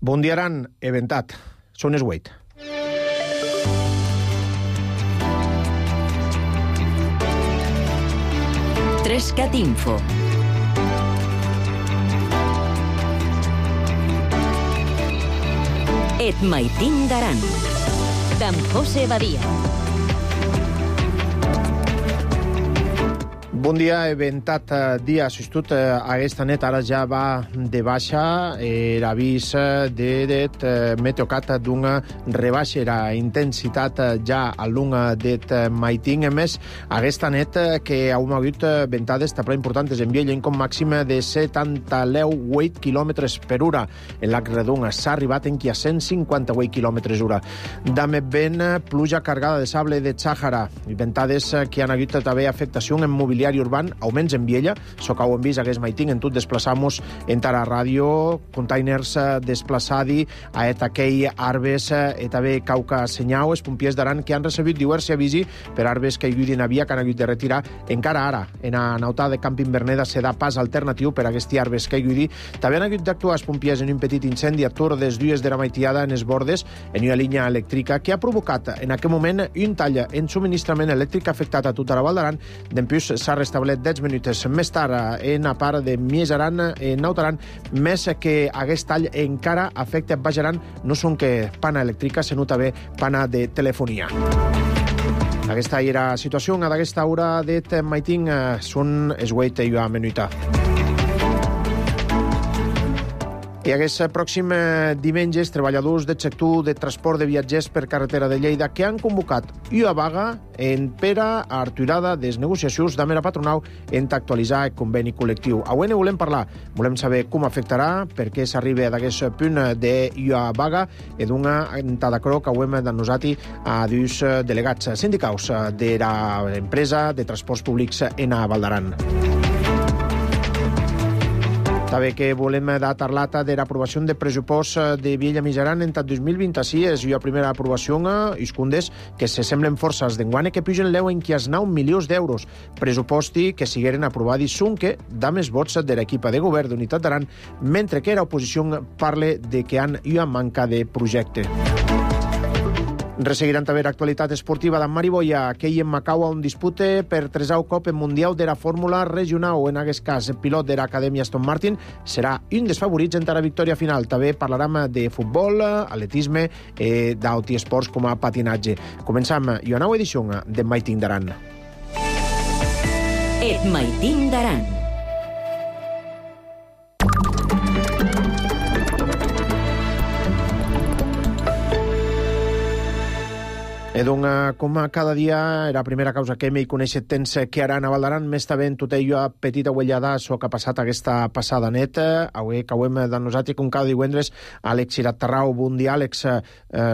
Bon dia, Aran, eventat. Són les 8. Trescat Info. Et maitin d'Aran. D'en José Badia. Bon dia, eventat dia. Assistut aquesta nit, ara ja va de baixa l'avís de meteocat d'una rebaixa la intensitat ja a l'una det maiting. A més, aquesta nit que hem hagut ventades també importants en Viella, com màxim de 78 km per hora. En l'arc redon s'ha arribat en qui a 158 km hora. També vent, pluja cargada de sable de Sàhara. Ventades que han hagut també afectació en mobiliari urban, augments en Viella, so que ho hem vist hagués maiting, en tot desplaçamos en Tara Ràdio, containers desplaçadi, a aquell arbes, també cauca senyau, els pompiers d'Aran que han recebut diversos avisi per arbes que hi havia que han hagut de retirar. Encara ara, en la nauta de Camping Verneda se da pas alternatiu per a aquests arbes que hi havia. També han hagut d'actuar els pompiers en un petit incendi a Tor des dues de la maitiada en els bordes, en una línia elèctrica que ha provocat en aquest moment un tall en subministrament elèctric afectat a tota la Val d'Aran. D'empús s'ha restablert 10 minuts més tard en la part de Mies Aran, en Nautaran, més que aquest tall encara afecta Baix Aran, no són que pana elèctrica, sinó també pana de telefonia. Aquesta era la situació a aquesta hora de maiting, són les 8 i una minuta. I aquest pròxim diumenge, els treballadors del sector de transport de viatgers per carretera de Lleida que han convocat una vaga en per a aturada des negociacions de la patronal en actualitzar el conveni col·lectiu. Avui ne volem parlar. Volem saber com afectarà, per què s'arriba d'aquest punt d'una vaga i d'una entada croc que hem denosat a dos delegats sindicals de l'empresa de transports públics en Val d'Aran. També que volem parlar de l'aprovació de pressupost de Viella Mijaran en 2026 i la primera aprovació i condes que se semblen forces d'enguane que pugen l'eu en qui es 9 milions d'euros. Pressuposti que sigueren aprovats són que da més vots de l'equip de govern d'Unitat d'Aran, mentre que l'oposició parla de que han una manca de projecte. Resseguiran també l'actualitat esportiva d'en Mariboia, que hi en Macau on dispute per 3è cop en Mundial de la Fórmula Regional. En aquest cas, el pilot de l'Acadèmia Aston Martin serà un dels favorits en la victòria final. També parlarem de futbol, atletisme i d'altres esports com a patinatge. Comencem una nova edició de Maiting d'Aran. Et Maiting d'Aran. I doncs, com cada dia, la primera causa que m'hi conèixer temps que Aran a Val d'Aran, més també en tota una petita uellada so que ha passat aquesta passada net. Avui que ho hem denosat com cada divendres, Àlex Irattarrau, bon dia, Àlex.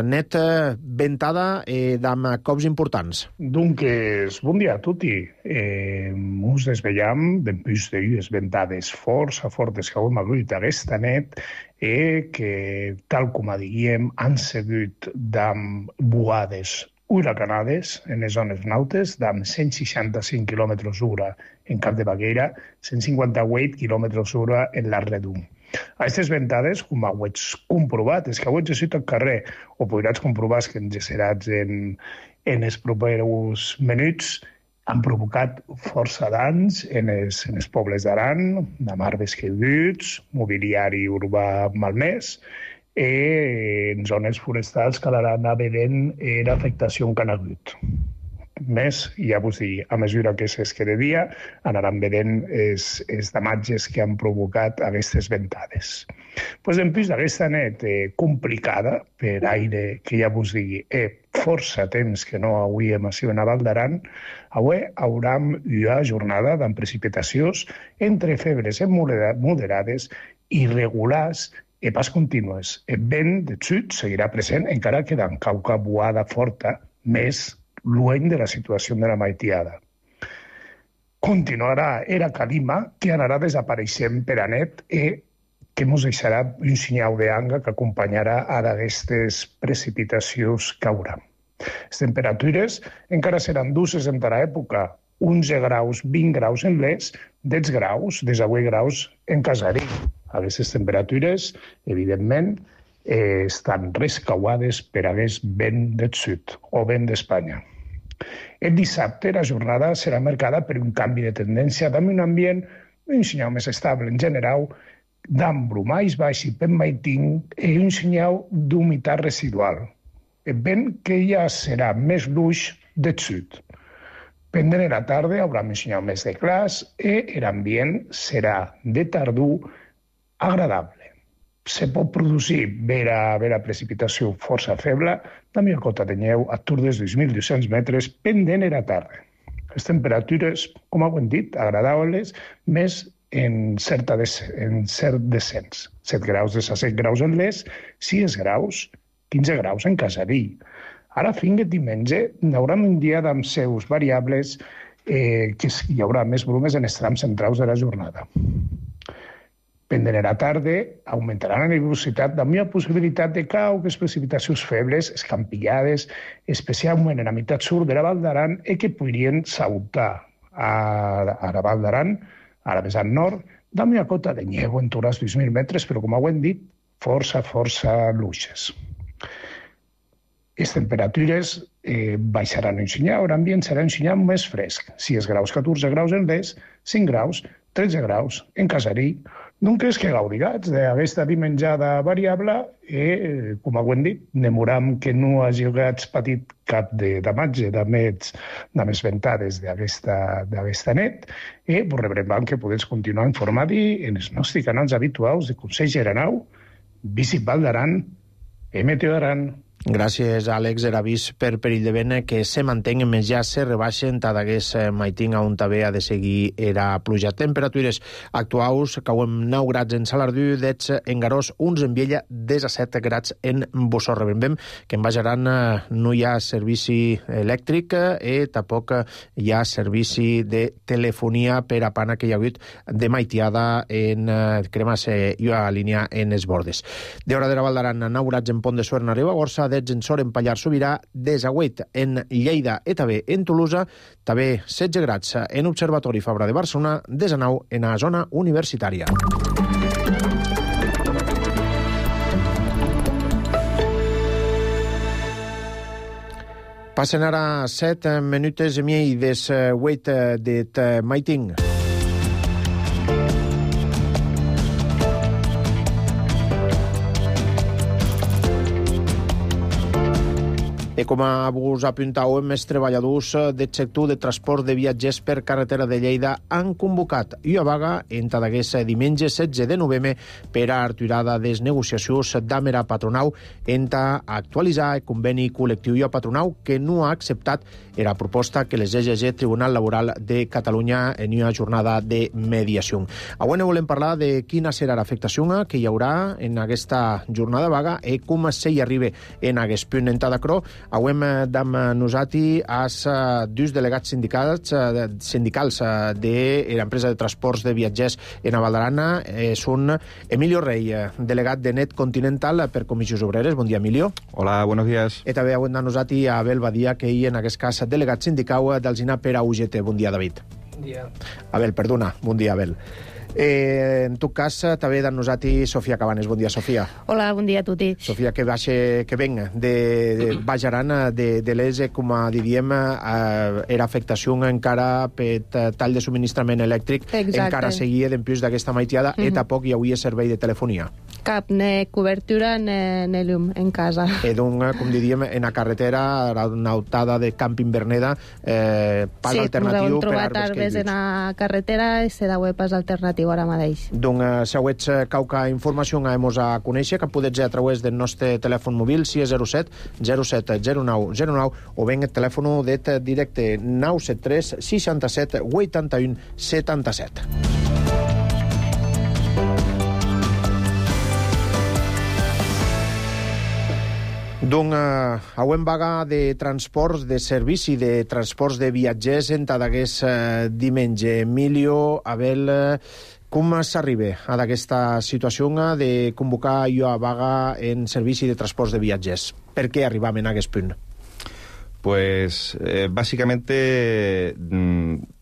Net, ventada d'amb cops importants. Doncs, bon dia a tutti. Ens desvetllam d'empús d'unes ventades força fortes que hem hagut aquesta net que, tal com diguem, han sigut d'amb buades huracanades en les zones nautes, d'amb 165 km hora en Cap de Baguera, 158 km hora en l'Arc Redon. Aquestes ventades, com ho ets comprovat, és que ho ets així al carrer, o podràs comprovar que ens seràs en els propers minuts, han provocat força danys en els pobles d'Aran, amb arbres caiguts, mobiliari urbà malmès, en zones forestals que l'Aran ha vedent l'afectació que han hagut. Més, ja vos dic, a mesura que s'esquerda dia, anaran vedent els damatges que han provocat aquestes ventades. Pues, en plus d'aquesta net complicada per aire, que ja vos dic, força temps que no hauríem sigut a Val d'Aran, avui haurem una jornada amb precipitacions entre febres moderades i regulars i pas contínues. El vent de sud seguirà present, encara que d'en cauca boada forta, més lluny de la situació de la maitiada. Continuarà era calima que anarà desapareixent per a net i que ens deixarà un senyal d'anga que acompanyarà a d'aquestes precipitacions que haurà. Les temperatures encara seran dulces en la època, 11 graus, 20 graus en l'est, 10 graus, 18 graus en Casari. Aquestes temperatures, evidentment, estan rescauades per hagués vent del sud o vent d'Espanya. El dissabte la jornada serà marcada per un canvi de tendència amb un ambient un senyal més estable en general, d'embrumais baix i penmaiting i un senyal d'humitat residual. El vent que ja serà més luix del sud. Pendent de la tarda haurà un senyal més de clars i l'ambient serà de tardor agradable. Se pot produir vera precipitació força feble, també a cota de neu a tour dels 2.200 metres pendent de la tarda. Les temperatures, com ho hem dit, agradables, més en cert descens. 7 graus de 7 graus en l'est, 6 graus, 15 graus en Casarí. Ara, fins que diumenge, hi haurà un dia amb seus variables que hi haurà més brumes en els trams centrals de la jornada. Pendent de la tarda, augmentarà la nebulositat amb una possibilitat de cauques precipitacions febles, escampillades, especialment en la meitat sud de la Val d'Aran, i que podrien saltar a la Val d'Aran, a la vessant nord, amb una cota de neu en torn als 2.000 metres, però, com ho hem dit, força luixes. Les temperatures baixaran un senyal, l'ambient serà un senyal més fresc. 6 graus, 14 graus en l'est, 5 graus, 13 graus en Casarí. Doncs que gaudigats d'aquesta dimenjada variable i, com ho hem dit, demoram que no hagi patit cap de damatge de més ventades d'aquesta net i rebrem que podeu continuar informant-hi en els nostres canals habituals de Consell Geranau, Visit Val d'Aran i Meteo Aran. Gràcies, Àlex. Era vist per perill de vent que se mantenguen més ja se rebaixen tant hagués maiting on també ha de seguir era pluja. Temperatures actuals, cauem 9 grads en Salardú, 10 en Garós, uns en Viella, 17 grads en Bossó. Rebrem que en Bajaran no hi ha servici elèctric i tampoc hi ha servici de telefonia per a pana que hi ha hagut de maitiada en cremes i a línia en els bordes. De hora de la Val d'Aran, 9 grads en Pont de Suert, en Ribagorça, 10 en Sort, en Pallars Sobirà, 18 en Lleida i també en Tolosa, també 16 grads en Observatori Fabra de Barcelona, 19 en la zona universitària. Passen ara 7 minutes i mig des 8 de maiting. I com vos apuntàvem, els treballadors del sector de transport de viatgers per carretera de Lleida han convocat una vaga entre d'aquest diumenge 16 de novembre per a aturada des negociacions amb la patronal entre actualitzar el conveni col·lectiu i la patronal que no ha acceptat la proposta que les EGG Tribunal Laboral de Catalunya en una jornada de mediació. Avui no volem parlar de quina serà l'afectació que hi haurà en aquesta jornada vaga i com s'hi arriba en aquest punt en Tadacró. Avui amb nosaltres els dos delegats sindicals de l'empresa de transports de viatgers en Val d'Aran. Són Emilio Rey, delegat de Net Continental per Comissions Obreres. Bon dia, Emilio. Hola, buenos días. I també avui amb nosaltres a Abel Badia, que hi en aquest cas delegat sindical d'Alzina per a UGT. Bon dia, David. Bon dia. Abel, perdona. Bon dia, Abel. En tot cas, també amb nosaltres Sofia Cabanes. Bon dia, Sofia. Hola, bon dia a tutti. Sofia, que ven de Bajaran, de les, com diríem, era afectació encara per tall de subministrament elèctric. Exacte. Encara seguia d'empius d'aquesta maitiada i tampoc hi havia servei de telefonia. Cap, ni cobertura ni llum en casa. Donc, com diríem, en la carretera, una autada de Camping Verneda, pas alternatiu per arbres caiguts. Sí, en la carretera se deu pas alternatiu ara mateix. Donc, si heu qualque informació hemos a conèixer, que podeu a través del nostre telèfon mòbil 607 07 09 09 o ben el telèfon de directe 973 67 81 77. Donc, avui en vaga de transports, de servici de transports de viatgers en d'aquest diumenge. Emilio, Abel, com s'arriba a aquesta situació de convocar una vaga en servici de transports de viatgers? Per què arribam en aquest punt? Pues básicamente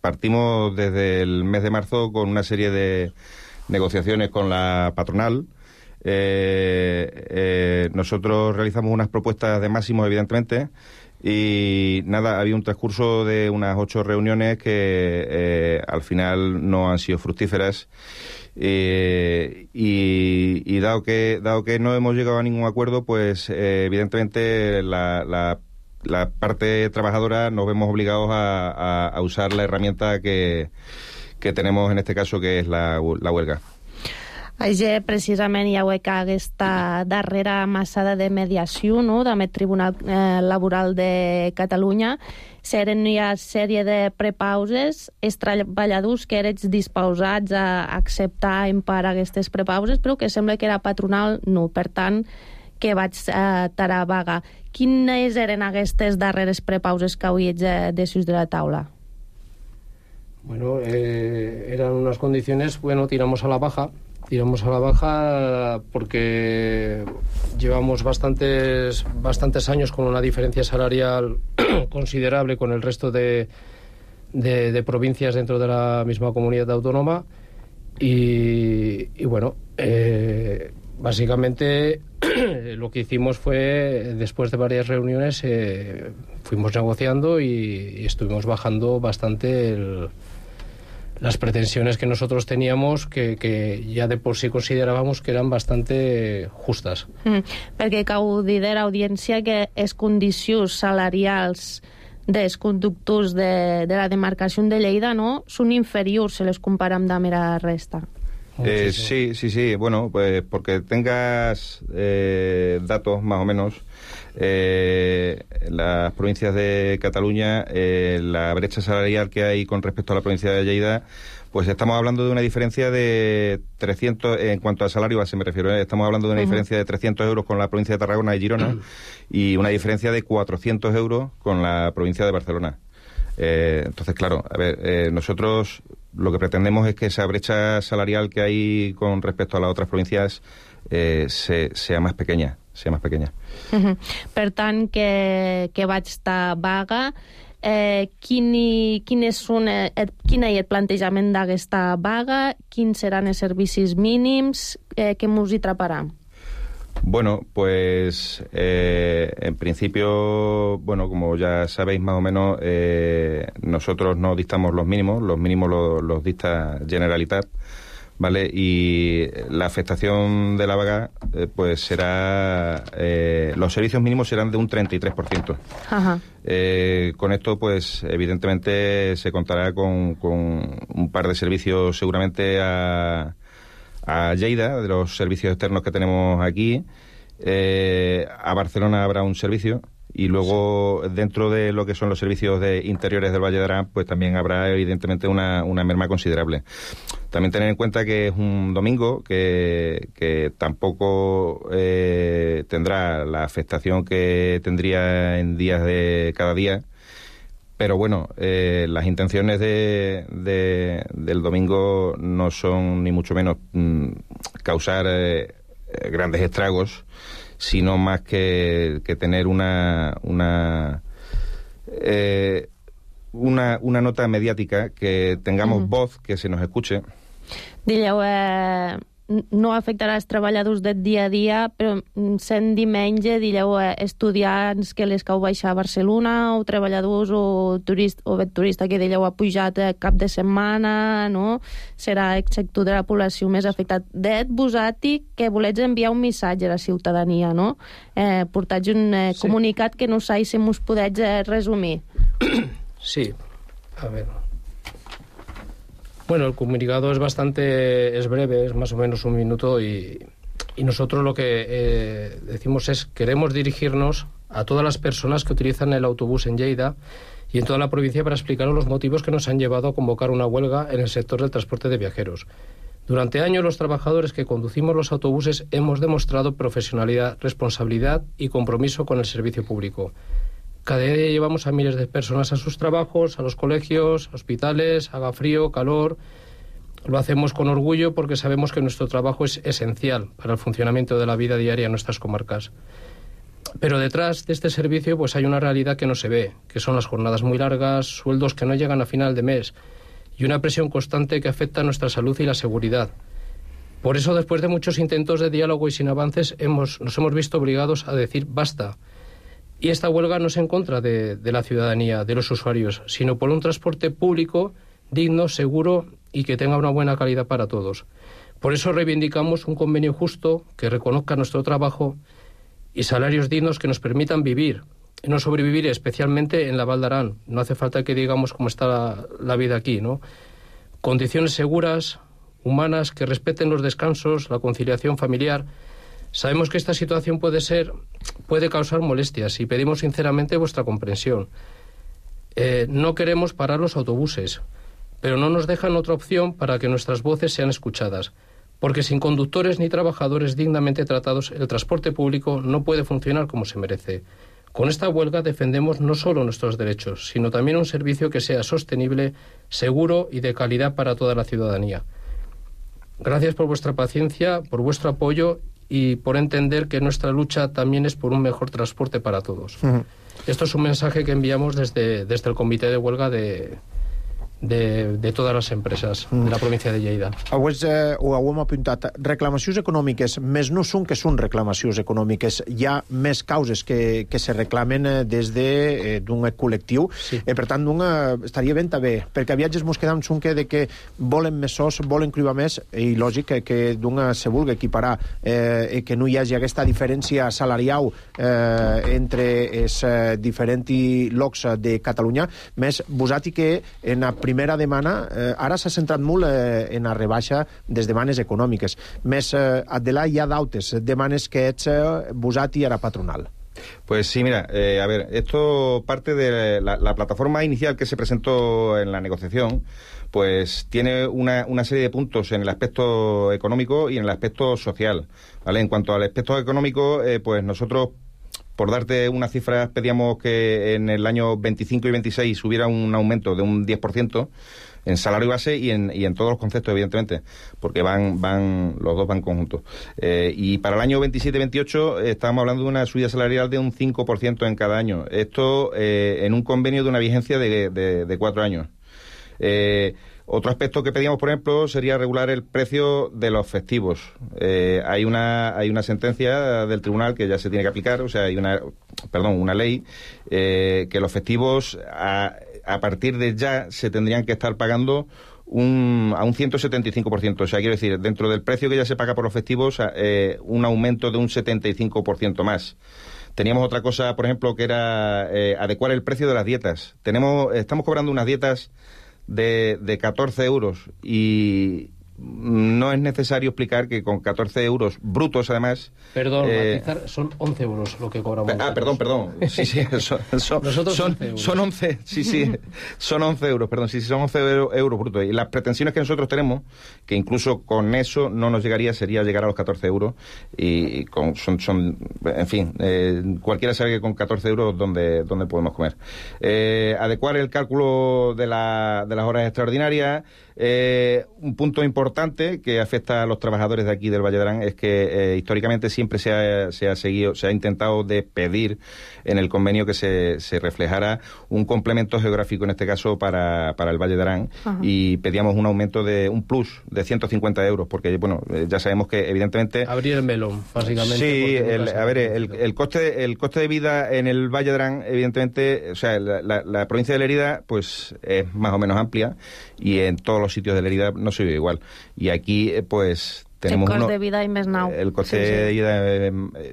partimos desde el mes de marzo con una serie de negociaciones con la patronal nosotros realizamos unas propuestas de máximos, evidentemente, y nada, había un transcurso de unas 8 reuniones que al final no han sido fructíferas. Y dado que no hemos llegado a ningún acuerdo, pues evidentemente la parte trabajadora nos vemos obligados a usar la herramienta que tenemos en este caso, que es la huelga. Així, precisament, hi ha aquesta darrera massada de mediació, no?, del Tribunal Laboral de Catalunya. Seren hi ha sèrie de prepauses, els treballadors que eren disposats a acceptar en part aquestes prepauses, però que sembla que era patronal no. Per tant, que vaig tarar vaga. Quines eren aquestes darreres prepauses que avui ets de la taula? Bueno, eran unas condiciones, bueno, tiramos a la baja porque llevamos bastantes años con una diferencia salarial considerable con el resto de provincias dentro de la misma comunidad autónoma y bueno, básicamente lo que hicimos fue, después de varias reuniones, fuimos negociando y estuvimos bajando bastante las pretensiones que nosotros teníamos, que ya de por sí considerábamos que eran bastante justas. Perquè cal dir de l'audiència que les condicions salarials dels conductors de la demarcació de Lleida, no?, són inferiors si les comparem amb la resta. Sí. Bueno, pues porque tengas datos más o menos, las provincias de Cataluña, la brecha salarial que hay con respecto a la provincia de Lleida, pues estamos hablando de una diferencia de 300, en cuanto a salario base me refiero, estamos hablando de una diferencia de 300 euros con la provincia de Tarragona y Girona y una diferencia de 400 euros con la provincia de Barcelona. Entonces, claro, a ver, nosotros lo que pretendemos es que esa brecha salarial que hay con respecto a las otras provincias sea más pequeña. Per tant, que vaig estar vaga, quin és el plantejament d'aquesta vaga, quins seran els servicis mínims, què mos hi atraparà? Bueno, pues en principio, bueno, como ya sabéis más o menos, nosotros no dictamos los mínimos los dicta Generalitat, ¿vale? Y la afectación de la vaga, pues será, los servicios mínimos serán de un 33%. Ajá. Con esto, pues evidentemente se contará con un par de servicios seguramente a Lleida, de los servicios externos que tenemos aquí. A Barcelona habrá un servicio y luego dentro de lo que son los servicios de interiores del Valle de Arán, pues también habrá evidentemente una merma considerable. También tener en cuenta que es un domingo que tampoco tendrá la afectación que tendría en días de cada día. Pero bueno, las intenciones del domingo no son ni mucho menos causar grandes estragos, sino más que tener una nota mediática, que tengamos voz, que se nos escuche. Dilleu, no afectarà els treballadors del dia a dia, però sent diumenge, dilleu, estudiants que les cau baixar a Barcelona, o treballadors o turista que dilleu ha pujat cap de setmana, no? Serà el sector de la població més afectat. Det vosaltres que volets enviar un missatge a la ciutadania, no? Portatge un comunicat que no sé si mos podets resumir. Sí, a ver. Bueno, el comunicado es breve, es más o menos un minuto y nosotros lo que decimos es: queremos dirigirnos a todas las personas que utilizan el autobús en Lleida y en toda la provincia para explicaros los motivos que nos han llevado a convocar una huelga en el sector del transporte de viajeros. Durante años los trabajadores que conducimos los autobuses hemos demostrado profesionalidad, responsabilidad y compromiso con el servicio público. Cada día llevamos a miles de personas a sus trabajos, a los colegios, hospitales, haga frío, calor. Lo hacemos con orgullo porque sabemos que nuestro trabajo es esencial para el funcionamiento de la vida diaria en nuestras comarcas. Pero detrás de este servicio pues hay una realidad que no se ve, que son las jornadas muy largas, sueldos que no llegan a final de mes y una presión constante que afecta a nuestra salud y la seguridad. Por eso, después de muchos intentos de diálogo y sin avances, nos hemos visto obligados a decir basta. Y esta huelga no es en contra de la ciudadanía, de los usuarios, sino por un transporte público digno, seguro y que tenga una buena calidad para todos. Por eso reivindicamos un convenio justo que reconozca nuestro trabajo y salarios dignos que nos permitan vivir, y no sobrevivir, especialmente en la Val d'Aran. No hace falta que digamos cómo está la vida aquí, ¿no? Condiciones seguras, humanas, que respeten los descansos, la conciliación familiar. Sabemos que esta situación puede causar molestias y pedimos sinceramente vuestra comprensión. No queremos parar los autobuses, pero no nos dejan otra opción para que nuestras voces sean escuchadas, porque sin conductores ni trabajadores dignamente tratados, el transporte público no puede funcionar como se merece. Con esta huelga defendemos no solo nuestros derechos, sino también un servicio que sea sostenible, seguro y de calidad para toda la ciudadanía. Gracias por vuestra paciencia, por vuestro apoyo y por entender que nuestra lucha también es por un mejor transporte para todos. Esto es un mensaje que enviamos desde el Comité de Huelga de totes les empreses de la província de Lleida. Ho hem apuntat. Reclamacions econòmiques, més no són que són reclamacions econòmiques. Hi ha més causes que se reclamen des d'un col·lectiu. Sí. Per tant, estaria ben també, perquè viatges mos quedam de que volen més sos, volen cribar més, i lògic que se vulgui equiparar, que no hi hagi aquesta diferència salarial entre els diferents llocs de Catalunya, més vosati que en la primera demana, ara s'ha centrat molt en la rebaixa des demandes econòmiques. Més adelà hi ha d'altres demandes que ets vosati a la patronal. Pues sí, mira, a ver, esto parte de la plataforma inicial que se presentó en la negociación, pues tiene una serie de puntos en el aspecto económico y en el aspecto social, ¿vale? En cuanto al aspecto económico, pues nosotros, por darte unas cifras, pedíamos que en el año 25 y 26 hubiera un aumento de un 10% en salario base y en todos los conceptos, evidentemente, porque los dos van conjuntos. Y para el año 27-28 estábamos hablando de una subida salarial de un 5% en cada año. Esto en un convenio de una vigencia de 4 años. Otro aspecto que pedíamos, por ejemplo, sería regular el precio de los festivos. Hay una sentencia del tribunal que ya se tiene que aplicar, o sea, hay una ley que los festivos a partir de ya se tendrían que estar pagando a un 175%. O sea, quiero decir, dentro del precio que ya se paga por los festivos, un aumento de un 75% más. Teníamos otra cosa, por ejemplo, que era adecuar el precio de las dietas. Estamos cobrando unas dietas de 14 euros y no es necesario explicar que con 14 euros brutos, además... Perdón, matizar, son 11 euros lo que cobramos. Perdón. Sí, son 11, sí, son 11 euros, perdón, sí, son 11 euros brutos. Y las pretensiones que nosotros tenemos, que incluso con eso no nos llegaría, sería llegar a los 14 euros. Y en fin, cualquiera sabe que con 14 euros ¿dónde podemos comer? Adecuar el cálculo de las horas extraordinarias. Un punto importante que afecta a los trabajadores de aquí del Valle d'Aran es que históricamente siempre se ha intentado de pedir en el convenio que se reflejara un complemento geográfico, en este caso para el Valle d'Aran. Y pedíamos un aumento de un plus de 150 euros, porque bueno, ya sabemos que evidentemente... Abrir el melón, básicamente. Sí, el coste de vida en el Valle d'Aran, evidentemente, o sea, la provincia de Lérida pues es más o menos amplia, y en todos los sitios de Lérida no se vive igual. Y aquí, pues, tenemos el coste de vida y més nou. El coste de vida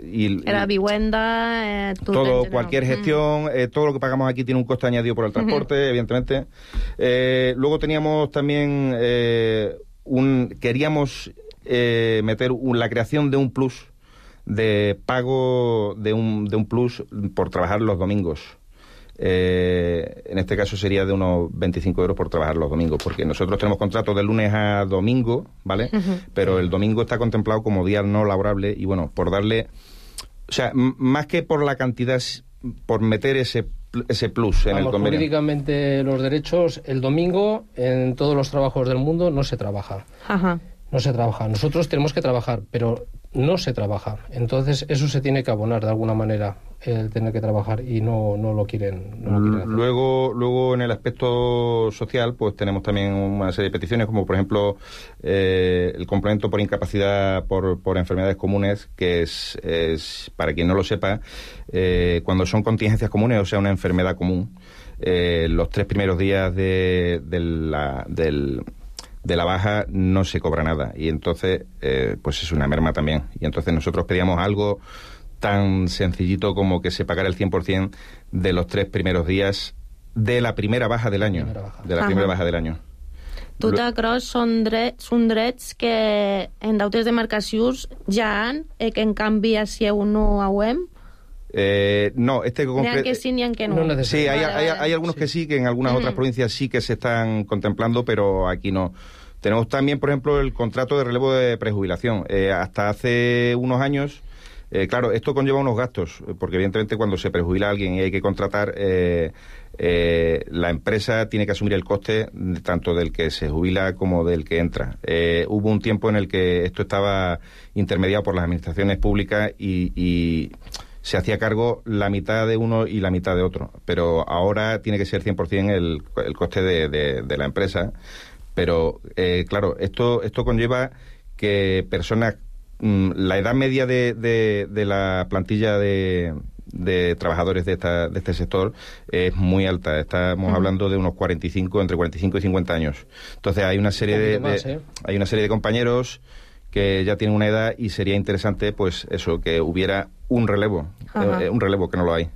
y la vivienda, todo, cualquier gestión, todo lo que pagamos aquí tiene un coste añadido por el transporte, evidentemente. Luego teníamos también queríamos meter la creación de un plus de pago de un plus por trabajar los domingos. En este caso sería de unos 25 euros por trabajar los domingos, porque nosotros tenemos contratos de lunes a domingo, ¿vale? Pero el domingo está contemplado como día no laborable, y bueno, por darle, o sea, más que por la cantidad, por meter ese plus en el convenio. Jurídicamente los derechos, el domingo en todos los trabajos del mundo no se trabaja. No se trabaja. Nosotros tenemos que trabajar, pero no se trabaja. Entonces eso se tiene que abonar de alguna manera, el tener que trabajar, y no lo quieren hacer. Luego en el aspecto social pues tenemos también una serie de peticiones, como por ejemplo el complemento por incapacidad por enfermedades comunes, que es para quien no lo sepa, cuando son contingencias comunes, o sea, una enfermedad común, los 3 primeros días de la baja no se cobra nada, y entonces pues es una merma también. Y entonces nosotros pedíamos algo tan sencillito como que se pagara el 100% de los 3 primeros días de la primera baja del año. Primera baja del año. Tot això són drets que en d'altres demarcacions ja han, que en canvi si no auem. No, Ni que sí, ni que no. Sí, hay algunos que sí, que en algunas otras provincias sí que se están contemplando, pero aquí no. Tenemos también, por ejemplo, el contrato de relevo de prejubilación. Hasta hace unos años, claro, esto conlleva unos gastos, porque evidentemente cuando se prejubila a alguien y hay que contratar, la empresa tiene que asumir el coste tanto del que se jubila como del que entra. Hubo un tiempo en el que esto estaba intermediado por las administraciones públicas y se hacía cargo la mitad de uno y la mitad de otro, pero ahora tiene que ser 100% el coste de la empresa. Pero claro, esto conlleva que personas, la edad media de la plantilla de trabajadores de este sector es muy alta. Estamos hablando de unos entre 45 y 50 años. Entonces hay una serie hay una serie de compañeros que ya tienen una edad, y sería interesante pues eso, que hubiera un relevo que no lo hay.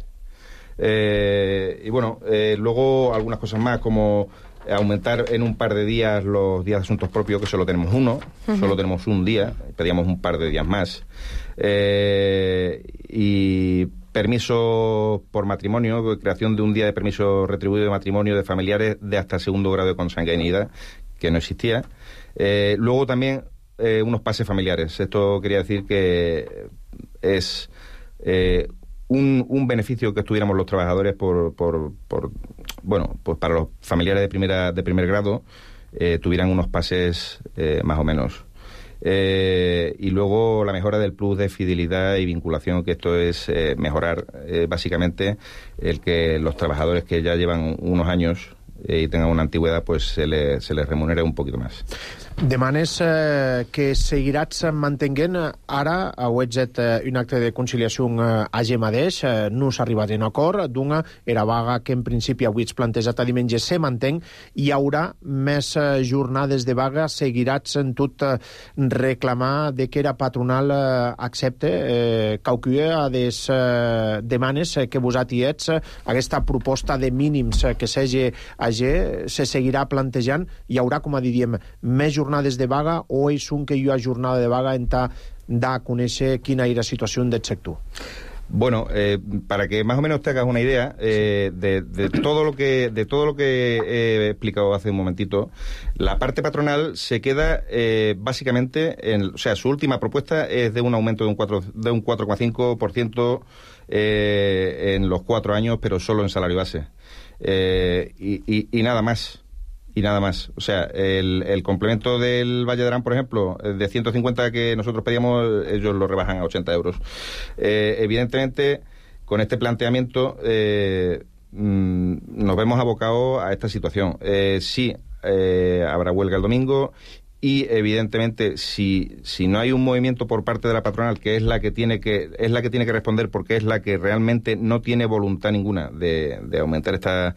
Y bueno, luego algunas cosas más, como aumentar en un par de días los días de asuntos propios, que solo tenemos uno, solo tenemos un día, pedíamos un par de días más. Y permiso por matrimonio, creación de un día de permiso retribuido de matrimonio de familiares de hasta 2º grado de consanguinidad, que no existía. Luego también unos pases familiares. Esto quería decir que es un beneficio que estuviéramos los trabajadores bueno, pues para los familiares de primer grado tuvieran unos pases más o menos. Y luego la mejora del plus de fidelidad y vinculación, que esto es mejorar básicamente el que los trabajadores que ya llevan unos años i tengan una antigüedad, pues se les remunera un poquito más. Demanes que seguiràs mantenint ara, heu fet un acte de conciliació a Gemadeix, no s'ha arribat a un acord, d'una era vaga que en principi avui es plantejat a diumenge se mantenc, hi haurà més jornades de vaga, seguiràs en tot reclamar de que era patronal accepte qualcuna de les demanes que vosaltres ets, aquesta proposta de mínims que s'hagi se seguirà plantejant, hi haurà, com diríem, més jornades de vaga, o és que hi ha jornada de vaga en da a conèixer quina era la situació del sector? Bueno, para que más o menos te hagas una idea de todo lo que he explicado hace un momentito, la parte patronal se queda básicamente o sea, su última propuesta es de un aumento de un 4,5% en los 4 años, pero solo en salario base. Y nada más. Y nada más. O sea, el complemento del Valle de Arán, por ejemplo, de 150 que nosotros pedíamos, ellos lo rebajan a 80 euros. Evidentemente, con este planteamiento nos vemos abocados a esta situación. Sí, habrá huelga el domingo, y evidentemente si no hay un movimiento por parte de la patronal, que es la que tiene que responder, porque es la que realmente no tiene voluntad ninguna de aumentar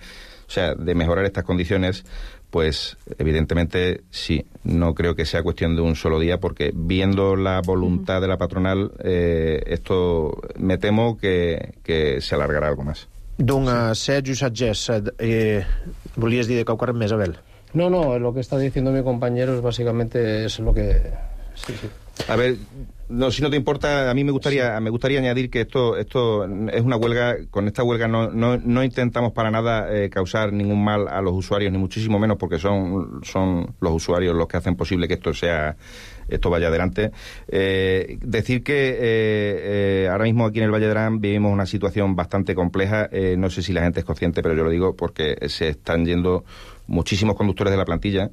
de mejorar estas condiciones, pues evidentemente sí, no creo que sea cuestión de un solo día, porque viendo la voluntad de la patronal, esto me temo que se alargará algo más. Doncs, Sergi Satgés, volies dir de qualque més, Abel? No, lo que está diciendo mi compañero es básicamente es lo que... Sí. A ver, no, si no te importa, a mí me gustaría añadir que esto es una huelga. Con esta huelga no intentamos para nada causar ningún mal a los usuarios, ni muchísimo menos, porque son los usuarios los que hacen posible que esto vaya adelante. Decir que ahora mismo aquí en el Valle de Arán vivimos una situación bastante compleja. No sé si la gente es consciente, pero yo lo digo porque se están yendo muchísimos conductores de la plantilla,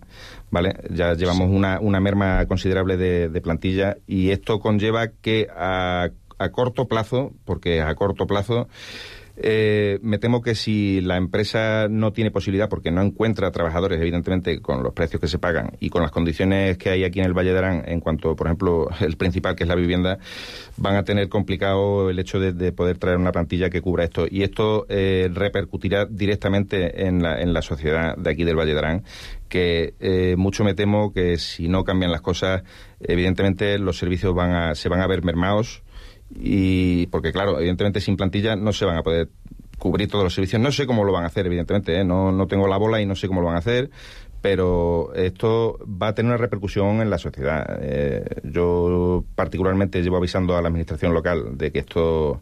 ¿vale? Ya llevamos una merma considerable de plantilla, y esto conlleva que a corto plazo, porque a corto plazo me temo que si la empresa no tiene posibilidad, porque no encuentra trabajadores, evidentemente, con los precios que se pagan y con las condiciones que hay aquí en el Valle de Arán, en cuanto, por ejemplo, el principal, que es la vivienda, van a tener complicado el hecho de poder traer una plantilla que cubra esto. Y esto repercutirá directamente en la sociedad de aquí del Valle de Arán, que mucho me temo que si no cambian las cosas, evidentemente los servicios se van a ver mermados. Y porque, claro, evidentemente sin plantilla no se van a poder cubrir todos los servicios. No sé cómo lo van a hacer, evidentemente, no tengo la bola y no sé cómo lo van a hacer, pero esto va a tener una repercusión en la sociedad. Yo particularmente llevo avisando a la administración local de que esto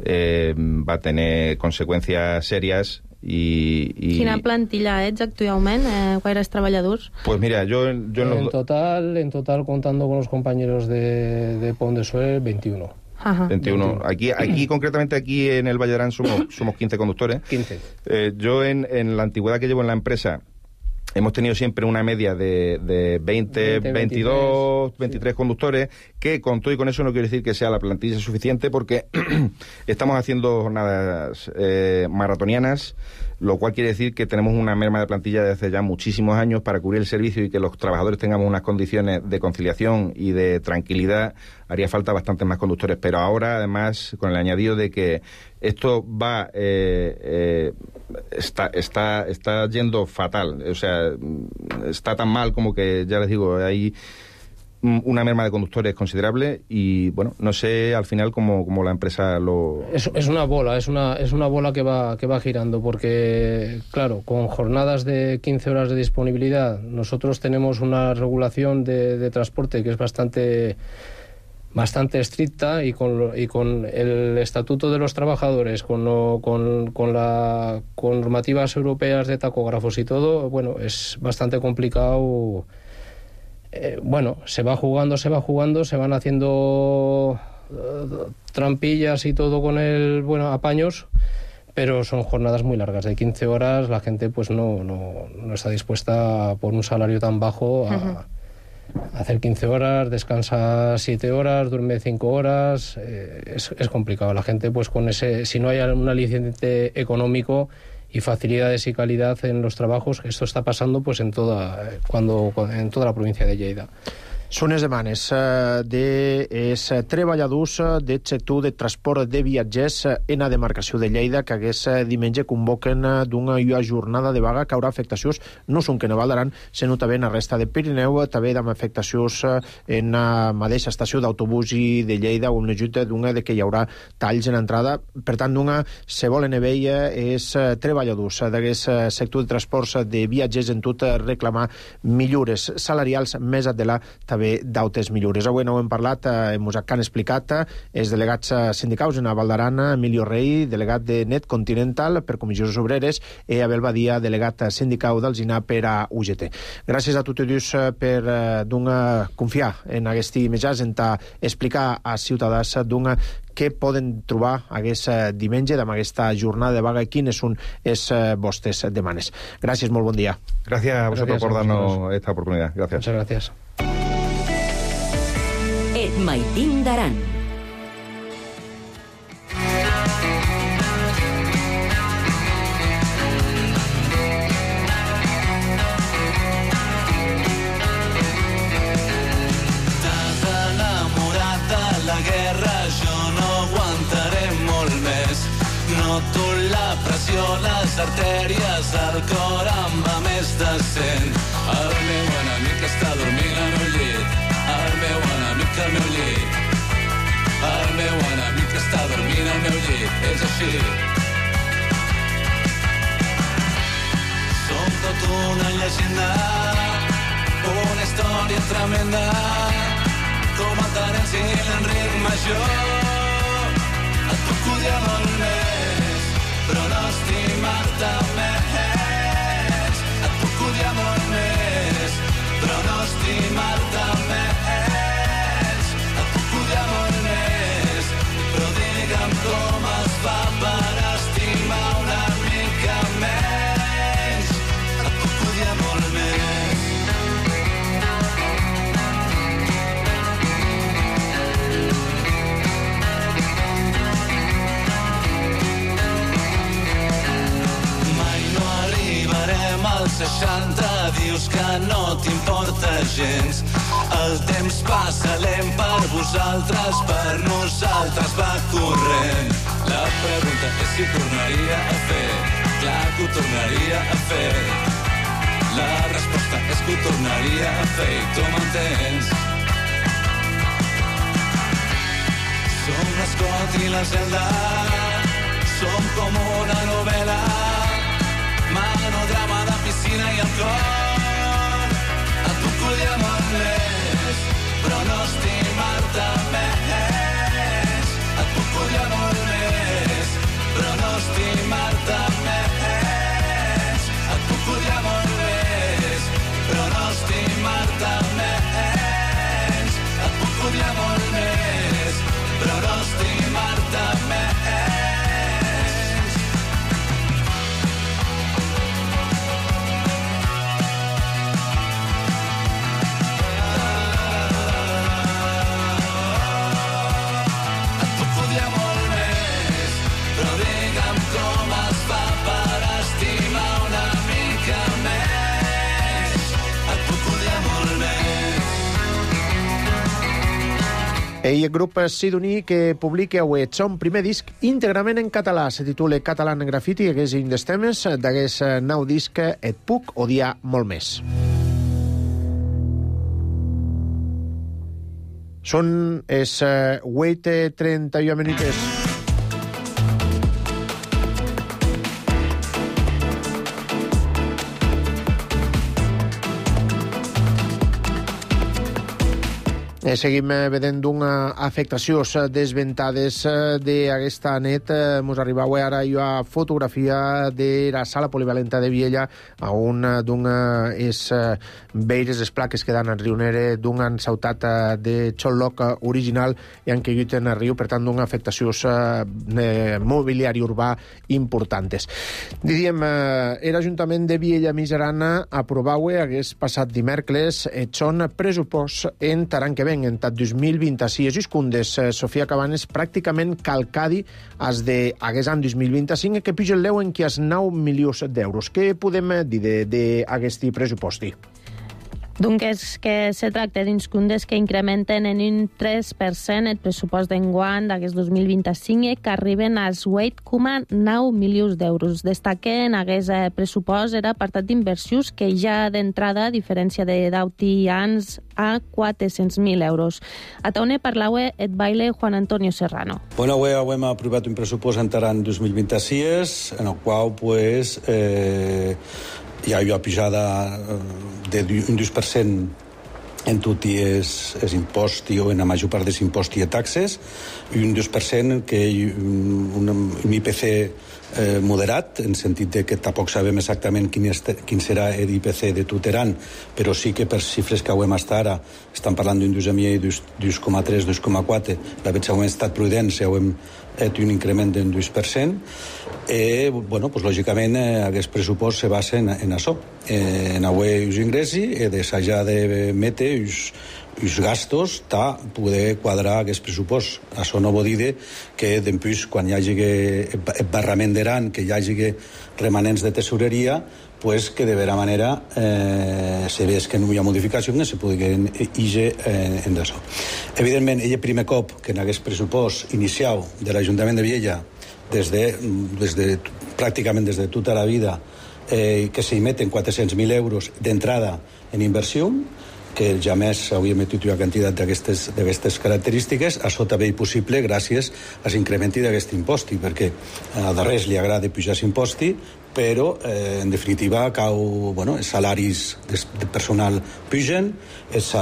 va a tener consecuencias serias. Quina plantilla ets actualment? Quaires treballadors? Pues mira, yo en total, contando con los compañeros de Pont de Suert, 21. Ajá. 21. Aquí concretamente aquí en el Valle de Arán somos 15 conductores. 15. Yo en la antigüedad que llevo en la empresa hemos tenido siempre una media de 20, 22, 23 conductores, que con todo y con eso no quiero decir que sea la plantilla suficiente, porque estamos haciendo jornadas maratonianas, lo cual quiere decir que tenemos una merma de plantilla desde hace ya muchísimos años para cubrir el servicio y que los trabajadores tengamos unas condiciones de conciliación y de tranquilidad. Haría falta bastantes más conductores, pero ahora, además, con el añadido de que esto va está yendo fatal, o sea, está tan mal como que, ya les digo, hay una merma de conductores considerable y, bueno, no sé al final cómo la empresa lo... Es una bola, es una bola que va girando, porque, claro, con jornadas de 15 horas de disponibilidad, nosotros tenemos una regulación de transporte que es bastante estricta, y con el estatuto de los trabajadores, con normativas europeas de tacógrafos y todo, bueno, es bastante complicado. Se va jugando, se van haciendo trampillas y todo con apaños, pero son jornadas muy largas, de 15 horas. La gente pues no está dispuesta por un salario tan bajo a hacer 15 horas, descansa 7 horas, duerme 5 horas, es complicado. La gente, pues con si no hay un aliciente económico y facilidades y calidad en los trabajos, esto está pasando pues en toda la provincia de Lleida. Són les demanes dels treballadors del sector de transport de viatgers en la demarcació de Lleida, que aquest diumenge convoquen d'una jornada de vaga que haurà afectacions no són que no Val d'Aran, sinó també en la resta de Pirineu, també amb afectacions en la mateixa estació d'autobús i de Lleida, on l'ajuda d'una de que hi haurà talls en entrada. Per tant, d'una se volen veure els treballadors d'aquest sector de transports de viatgers en tot reclamar millores salarials, més enllà també d'altres millores. Avui no ho hem parlat, ens han explicat els delegats sindicals en Val d'Aran, Emilio Rey, delegat de Net Continental per Comissions Obreres, i Abel Badia, delegat sindical d'Alzina per a UGT. Gràcies a tots per confiar en aquest mitjans, en explicar als ciutadans què poden trobar aquest diumenge amb aquesta jornada de vaga i quines són les vostres demanes. Gràcies, molt bon dia. Gracias a vosotros por darnos esta oportunidad. Gracias. Muchas gracias. Et Maitín d'Aran. T'has enamorat de la guerra, jo no aguantaré molt més. Noto la pressió, les artèries, el cor em va més de 100. El meu enemic està dormint al meu llit. El meu enemic al meu llit. El meu enemic està dormint al meu llit. És així. Som tot una llegenda, una història tremenda, com el Terence i l'Enric Major. Et puc odiar molt més, però no estimar-te més. Et puc odiar molt més, però no estimar-te més. Et puc odiar molt més, però digue'm com es fa per estimar una mica menys. Et puc 60 dius que no t'importa gens. El temps passa lent per vosaltres, per nosaltres va corrent. La pregunta és si tornaria a fer, clar que ho tornaria a fer. La resposta és que ho tornaria a fer i tu m'entens. Som l'Escot i la Zelda, som com una novel·la, manodrama de piscina i alcohol. Et puc odiar molt més, però no estimar-te més. Et puc odiar molt més, però no estimar-te més. Et puc odiar molt més, però no estimar-te més. Et puc odiar molt més, però no estimar-te més. El grup sidoní que publica avui el son primer disc íntegrament en català. Se titula Catalan Graffiti, hagués un dels temes d'aquest nou disc Et puc odiar molt més. Són els 8:31 minuts. Seguim vedent una afectació desventades d'aquesta nit. Mos arriba ara a fotografia de la sala polivalenta de Viella, on és veires les plaques que dan al riu Nere d'una ensautat de xoloc original i han caigut en el riu, per tant, d'una afectació mobiliari urbà importantes. Diríem, l'Ajuntament de Viella Miserana aprovau hagués passat dimecres son pressupost en taran que ven en tot 2026 i cundes Sofia Cabanes pràcticament calcadi als d'aquest any 2025 que puja el leu en qui has 9 milions d'euros. Què podem dir d'aquest pressupost? Donc és que se tracta d'uns cundes que incrementen en un 3% el pressupost d'enguany d'aquest 2025 que arriben als 8,9 milions d'euros. Destaquen aquest pressupost era apartat d'inversions que ja d'entrada, a diferència de d'auti anys, a 400.000 euros. A taune parlava et baile Juan Antonio Serrano. Bueno, avui hem aprovat un pressupost entrant 2026 en el qual pues, hi ha una pujada d'un 2% en tot és impost o en la major part dels imposts i taxes i un 2% que un IPC moderat, en sentit de que tampoc sabem exactament quin serà l'IPC de tot l'any, però sí que per xifres que hem estat ara estan parlant d'un 2,3, 2,4. La veig que hem estat prudents i hem fet un increment d'un 2%. Bueno, pues, lògicament, aquest pressupost se basa en això, en avui els ingressos i d'assajar d'emetre els gastos per poder quadrar aquest pressupost. Això no vol dir que després, quan hi hagi barrament d'eran, que hi hagi remanents de tesoreria, pues que de vera manera se vés que no hi ha modificació que se pugui ir en això. Evidentment, el primer cop que en aquest pressupost inicial de l'Ajuntament de Viella pràcticament des de tota la vida que s'emeten 400.000 euros d'entrada en inversió, que ja més hauria emetit una quantitat d'aquestes característiques. Això també és possible gràcies a l'increment d'aquest impost, perquè a darrers li agrada pujar l'impost, però en definitiva els salaris de personal pugen, és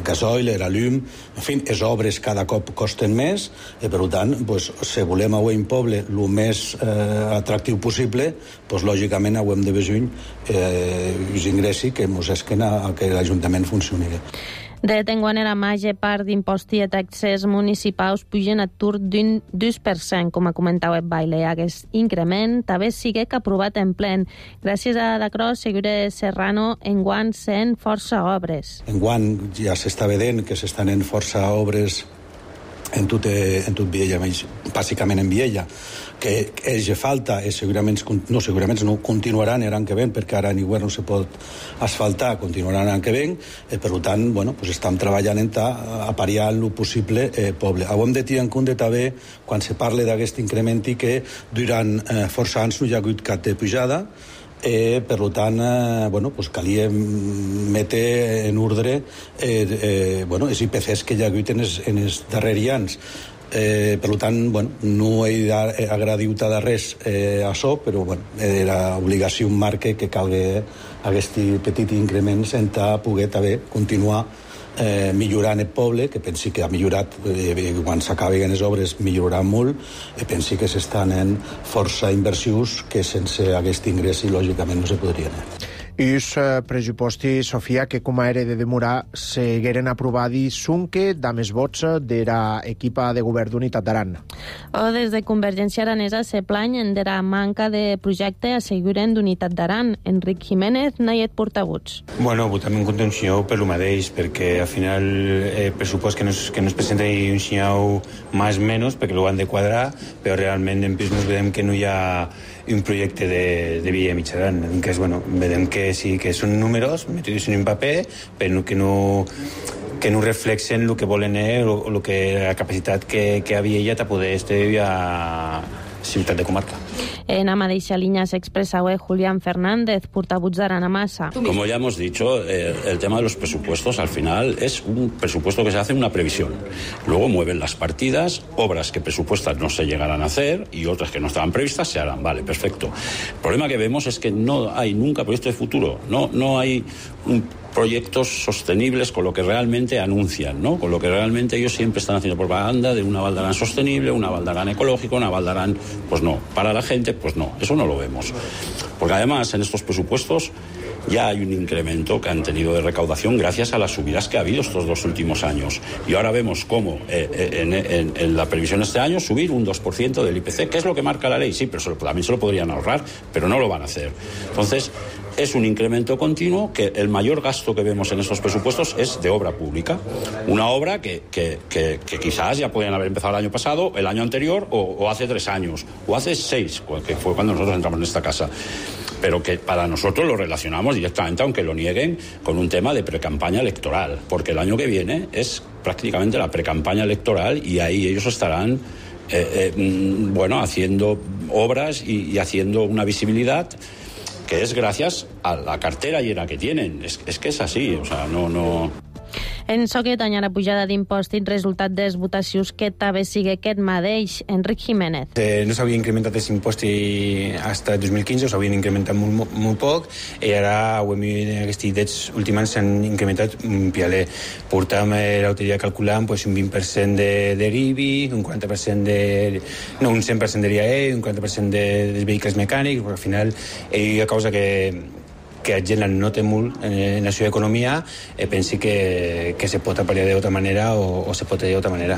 gasoil, la llum, en fi, les obres cada cop costen més i per tant, si volem avui un poble el més atractiu possible, lògicament hem de veure els ingressos que ens esquen a que l'Ajuntament funcioni. De tenguant la major part d'imposts i taxes municipals pugen a tur d'un 2%, com ha comentat el baile. Aquest increment també sigue que aprovat en plen. Gràcies a Dacros, Segura Serrano, enguany sent força obres. Enguany ja s'està vedent que s'estan en força obres en tot Viella bàsicament en Viella, que és falta, segurament no continuaran l'any que ven, perquè ara en hivern no se pot asfaltar, continuaran l'any que ven, per tant, estem treballant en apariar el possible poble. Hem de tenir en compte també, quan se parla d'aquest increment, que durant força anys no hi ha hagut cap de pujada, per tant, calia metre en ordre els IPCs que hi ha hagut en els darrers anys. Per tant, no he agradit de res a això, però era obligació un marc que calgui aquest petit increment sense poder també continuar millorant el poble, que pensi que ha millorat, quan s'acaben les obres millorarà molt, i pensi que s'estan en força inversions que sense aquest ingrés lògicament no se podrien. Els pressupostos, Sofia, que com a era de demorar, segueren aprovadi sunque damb els vots de la equipa de govern d'Unitat d'Aran. Des de Convergència Aranesa se planyen de la manca de projecte asseguren d'Unitat d'Aran. Enric Jiménez n'ha et portaguts. Votem en contenció per lo mateix, perquè al final el pressupost que nos presenta un senyal més o menys, perquè ho han de quadrar, però realment en plus nos vedem que no hi ha un projecte de Via Mitjaran, que és, vedem que sí que són números metidos en un paper, però que no reflexen el que volen la capacitat que havia ella de poder estar a ciutat de comarca. En la mateixa línia s'expresa Julián Fernández, portavoz de Aranamasa. Como ya hemos dicho, el tema de los presupuestos al final es un presupuesto que se hace una previsión. Luego mueven las partidas, obras que presupuestas no se llegarán a hacer y otras que no estaban previstas se harán. Vale, perfecto. El problema que vemos es que no hay nunca proyectos de futuro. No hay proyectos sostenibles con lo que realmente anuncian, ¿no? Con lo que realmente ellos siempre están haciendo propaganda de una Val d'Aran sostenible, una Val d'Aran ecológica, una Val d'Aran, pues no. Para la gente, pues no. Eso no lo vemos. Porque además en estos presupuestos ya hay un incremento que han tenido de recaudación gracias a las subidas que ha habido estos 2 últimos años. Y ahora vemos cómo en la previsión de este año subir un 2% del IPC, que es lo que marca la ley, sí, pero también se lo podrían ahorrar, pero no lo van a hacer. Entonces, es un incremento continuo, que el mayor gasto que vemos en estos presupuestos es de obra pública. Una obra que quizás ya podían haber empezado el año pasado, el año anterior, o hace 3 años, o hace 6, que fue cuando nosotros entramos en esta casa. Pero que para nosotros lo relacionamos directamente, aunque lo nieguen, con un tema de precampaña electoral, porque el año que viene es prácticamente la precampaña electoral y ahí ellos estarán haciendo obras y haciendo una visibilidad que es gracias a la cartera llena que tienen. Es que es así, o sea, no... En so que tanya la pujada d'impostos resultat de les votacions que també sigue aquest mateix. Enric Jiménez. No s'havia incrementat els impostos fins al 2015, s'havien incrementat molt poc, i ara ho hem vist en aquests últims anys s'han incrementat un pialer. Portàvem l'autoria calculant un 20% de l'IBI, un 40% un 100% de l'IAE, un 40% dels vehicles mecànics, perquè al final hi ha causa que la gent no té molt en la seva economia, pensi que se pot apariar d'altra manera o se pot dir d'altra manera.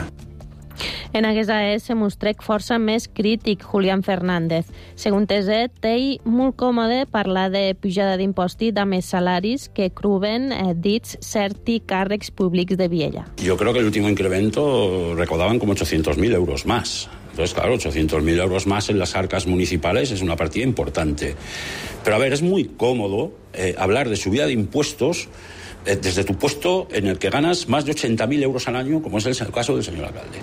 En aquesta se mostrec força més crític Julián Fernández. Segons ell, té molt còmode parlar de pujada d'impostos de més salaris que cruben dits certi càrrecs públics de Viella. Yo creo que el último incremento recaudaban como 800.000 euros más. Entonces, claro, 800.000 euros más en las arcas municipales es una partida importante. Pero, a ver, es muy cómodo hablar de subida de impuestos desde tu puesto en el que ganas más de 80.000 euros al año, como es el caso del señor alcalde.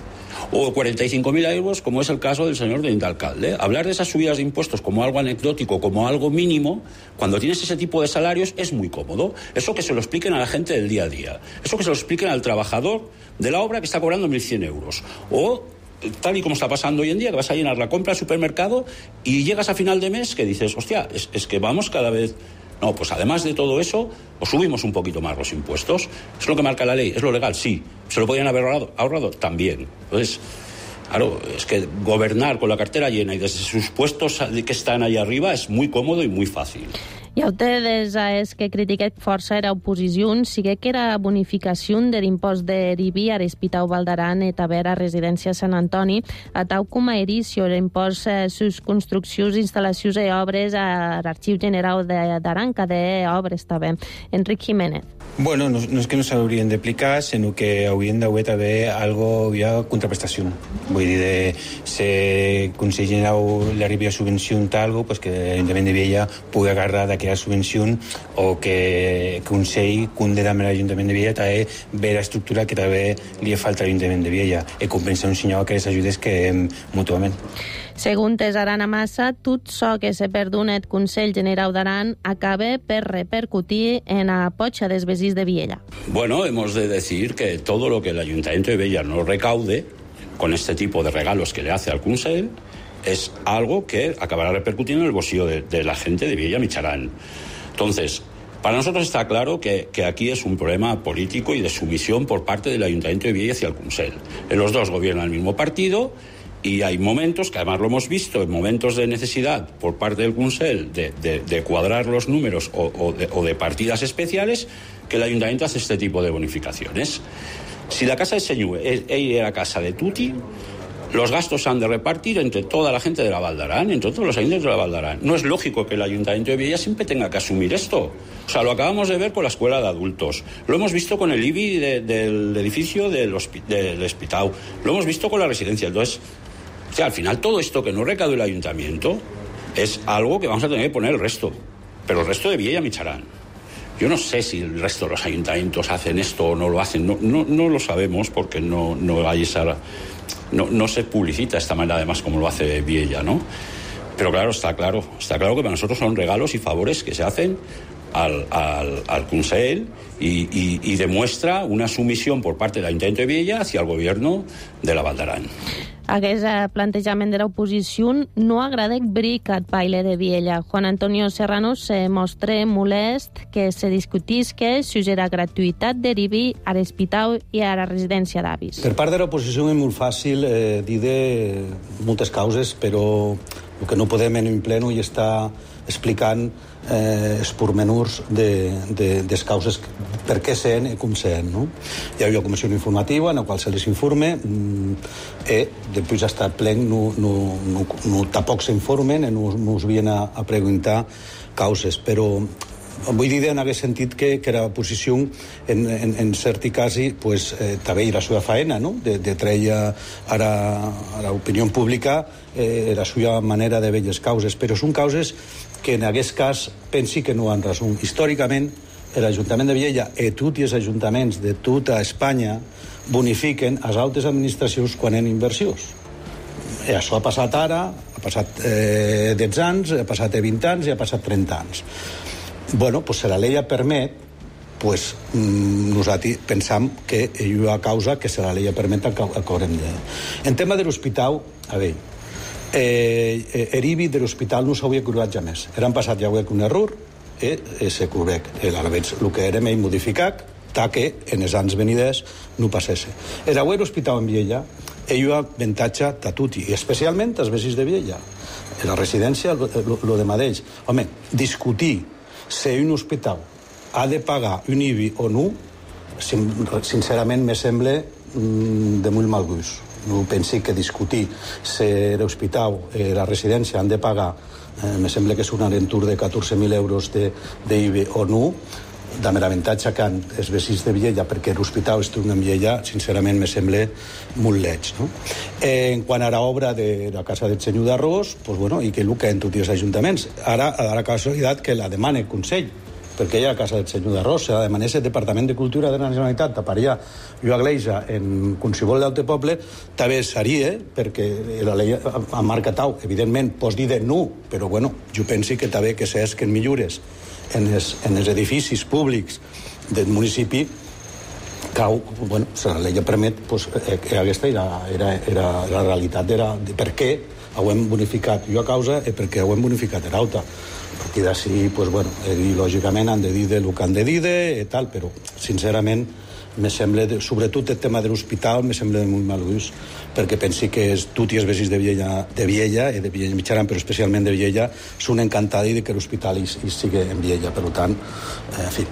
O 45.000 euros, como es el caso del señor alcalde. Hablar de esas subidas de impuestos como algo anecdótico, como algo mínimo, cuando tienes ese tipo de salarios, es muy cómodo. Eso que se lo expliquen a la gente del día a día. Eso que se lo expliquen al trabajador de la obra que está cobrando 1.100 euros. O tal y como está pasando hoy en día, que vas a llenar la compra al supermercado y llegas a final de mes que dices, hostia, es que vamos cada vez... No, pues además de todo eso, os subimos un poquito más los impuestos. ¿Es lo que marca la ley? ¿Es lo legal? Sí. ¿Se lo podían haber ahorrado? También. Entonces, claro, es que gobernar con la cartera llena y desde sus puestos que están ahí arriba es muy cómodo y muy fácil. I ustedes és que critiquet força era oposició, sigue que era bonificació de l'impost de l'IBI a l'Hospital Valdaran i també a Residència Sant Antoni, a tau com a erició l'impost sus construccions, instal·lacions i obres a l'Arxiu General d'Aran, que d'obres també. Enric Jiménez. Bueno, no és que no s'haurien d'aplicar, sinó que haurien d'haver també algo via contraprestació. Vull dir, si Consell General l'arribi a subvenció algo, pues que l'Ajuntament de Viella pugui agarrar d'aquella subvenció o que Consell cunde amb l'Ajuntament de Viella també ve l'estructura que també li falta a l'Ajuntament de Viella i compensar un senyor que les ajudes que mútuament. Segons Arana Massa, tot això que se perdona el Consell General d'Aran acaba per repercutir en la potxa dels veïns de Viella. Bueno, hemos de decir que todo lo que el Ayuntamiento de Viella no recaude con este tipo de regalos que le hace al Consell es algo que acabará repercutiendo en el bolsillo de la gente de Viella Micharán. Entonces, para nosotros está claro que aquí es un problema político y de sumisión por parte del Ayuntamiento de Viella hacia el Consell. Los dos gobiernan el mismo partido y hay momentos, que además lo hemos visto, en momentos de necesidad por parte del Consell de cuadrar los números o de partidas especiales, que el Ayuntamiento hace este tipo de bonificaciones. Si la casa de Señú es la casa de Tuti, los gastos se han de repartir entre toda la gente de la Valdaran, entre todos los ayuntamientos de la Valdaran. No es lógico que el Ayuntamiento de Viella siempre tenga que asumir esto. O sea, lo acabamos de ver con la escuela de adultos. Lo hemos visto con el IBI del edificio del hospital. Lo hemos visto con la residencia. Entonces, o sea, al final todo esto que no recaude el Ayuntamiento es algo que vamos a tener que poner el resto. Pero el resto de Viella Micharán. Yo no sé si el resto de los ayuntamientos hacen esto o no lo hacen. No lo sabemos porque no hay esa... No se publicita de esta manera, además, como lo hace Viella, ¿no? Pero claro, está claro que para nosotros son regalos y favores que se hacen al Consell y demuestra una sumisión por parte del Ayuntamiento de Viella hacia el gobierno de la Valdaran. Aquest plantejament de l'oposició no agrada bric al baile de Viella. Juan Antonio Serrano se mostra molest que se discutisca sobre la gratuïtat de l'IBI a l'hospital i a la residència d'avis. Per part de l'oposició és molt fàcil dir de moltes causes, però el que no podem en un pleno i està explicant els pormenors de les causes, per què sent i com sent. No? Hi havia una comissió informativa en la qual se les informe i després hasta el plen tampoc s'informen i no us vien a preguntar causes, però vull dir en aquest sentit que l'oposició en cert cas pues, també era la seva faena, no? de treure a l'opinió pública la seva manera de veure les causes, però són causes que en aquest cas pensi que no han raó. Històricament, l'Ajuntament de Viella i tots els ajuntaments de tota Espanya bonifiquen les altres administracions quan hi ha inversions. I això ha passat ara, ha passat 10 anys, ha passat 20 anys i ha passat 30 anys. Bueno, pues si la llei permet, pues nosaltres pensam que hi ha causa que si la llei permet que haurem de... En tema de l'hospital, a veure, l'IBI de l'hospital no s'hauria curvat ja més. Era passat ja un error i se curvec. Aleshores, el que era més modificat, que en els anys veniders no passés. Era l'hospital en Viella hi ha avantatge a tutti, i especialment als veïns de Viella. La residència, el de mateix. Home, discutir si un hospital ha de pagar un IBI o no, sincerament me sembla de molt mal gust. No pensi que discutir si l'hospital i la residència han de pagar, me sembla que és un aventur de 14.000 euros d'IBI o no, de l'avantatge que han els veïns de Viella perquè l'hospital es troba en Viella, sincerament me sembla molt lleig. No? En quant a l'obra de la Casa del Senyor d'Arròs, pues bueno, i que el que en tots els ajuntaments. Ara, a la casualitat que la demana el Consell, perquè hi ha la Casa del Senyor d'Arròs, se la demanés el Departament de Cultura de la Generalitat taparia una iglesia en qualsevol d'altre poble, també seria, perquè la llei ha marcat, evidentment, pots dir de no, però bueno, jo penso que també que s'és que en millores en els edificis públics del municipi, cau, bueno, si la llei permet, pues, aquesta era la realitat de per què ho hem bonificat jo a causa i per què ho hem bonificat a l'altra. A partir d'ací, pues, bueno, lògicament han de dir el que han de dir i tal, però sincerament me sembla, sobretot el tema de l'hospital, me sembla molt mal gust, perquè pensi que tutti els veïns de Viella i de Viella Mitjana, però especialment de Viella, són encantats de que l'hospital hi sigui en Viella. Per tant, en fi.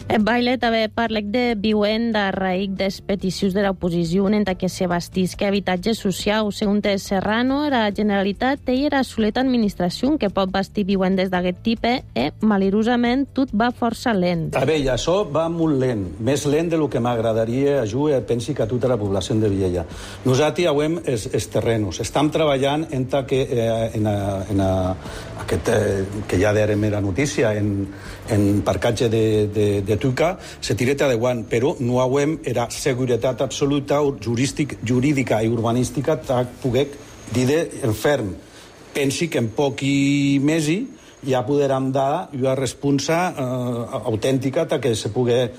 Baile també parlec de viuen de raïc des peticions de l'oposició en que se bastisque habitatge social. Segons Serrano, la Generalitat té la soleta administració que pot bastir vivendes d'aquest tipus i, malirosament, tot va força lent. A veure, això va molt lent, més lent del que m'agradaria ajudar, pensi que a tota la població de Viella. Nosaltres avui els terrenos. Estem treballant en aquest, que ja dèrem la notícia, en parcatge de Tuca, se tireta de guant, però no hauem era seguretat absoluta jurídica i urbanística per poder dir en ferm. Pensi que en pocs mesos ja podrem dar una responsa autèntica que se pugui.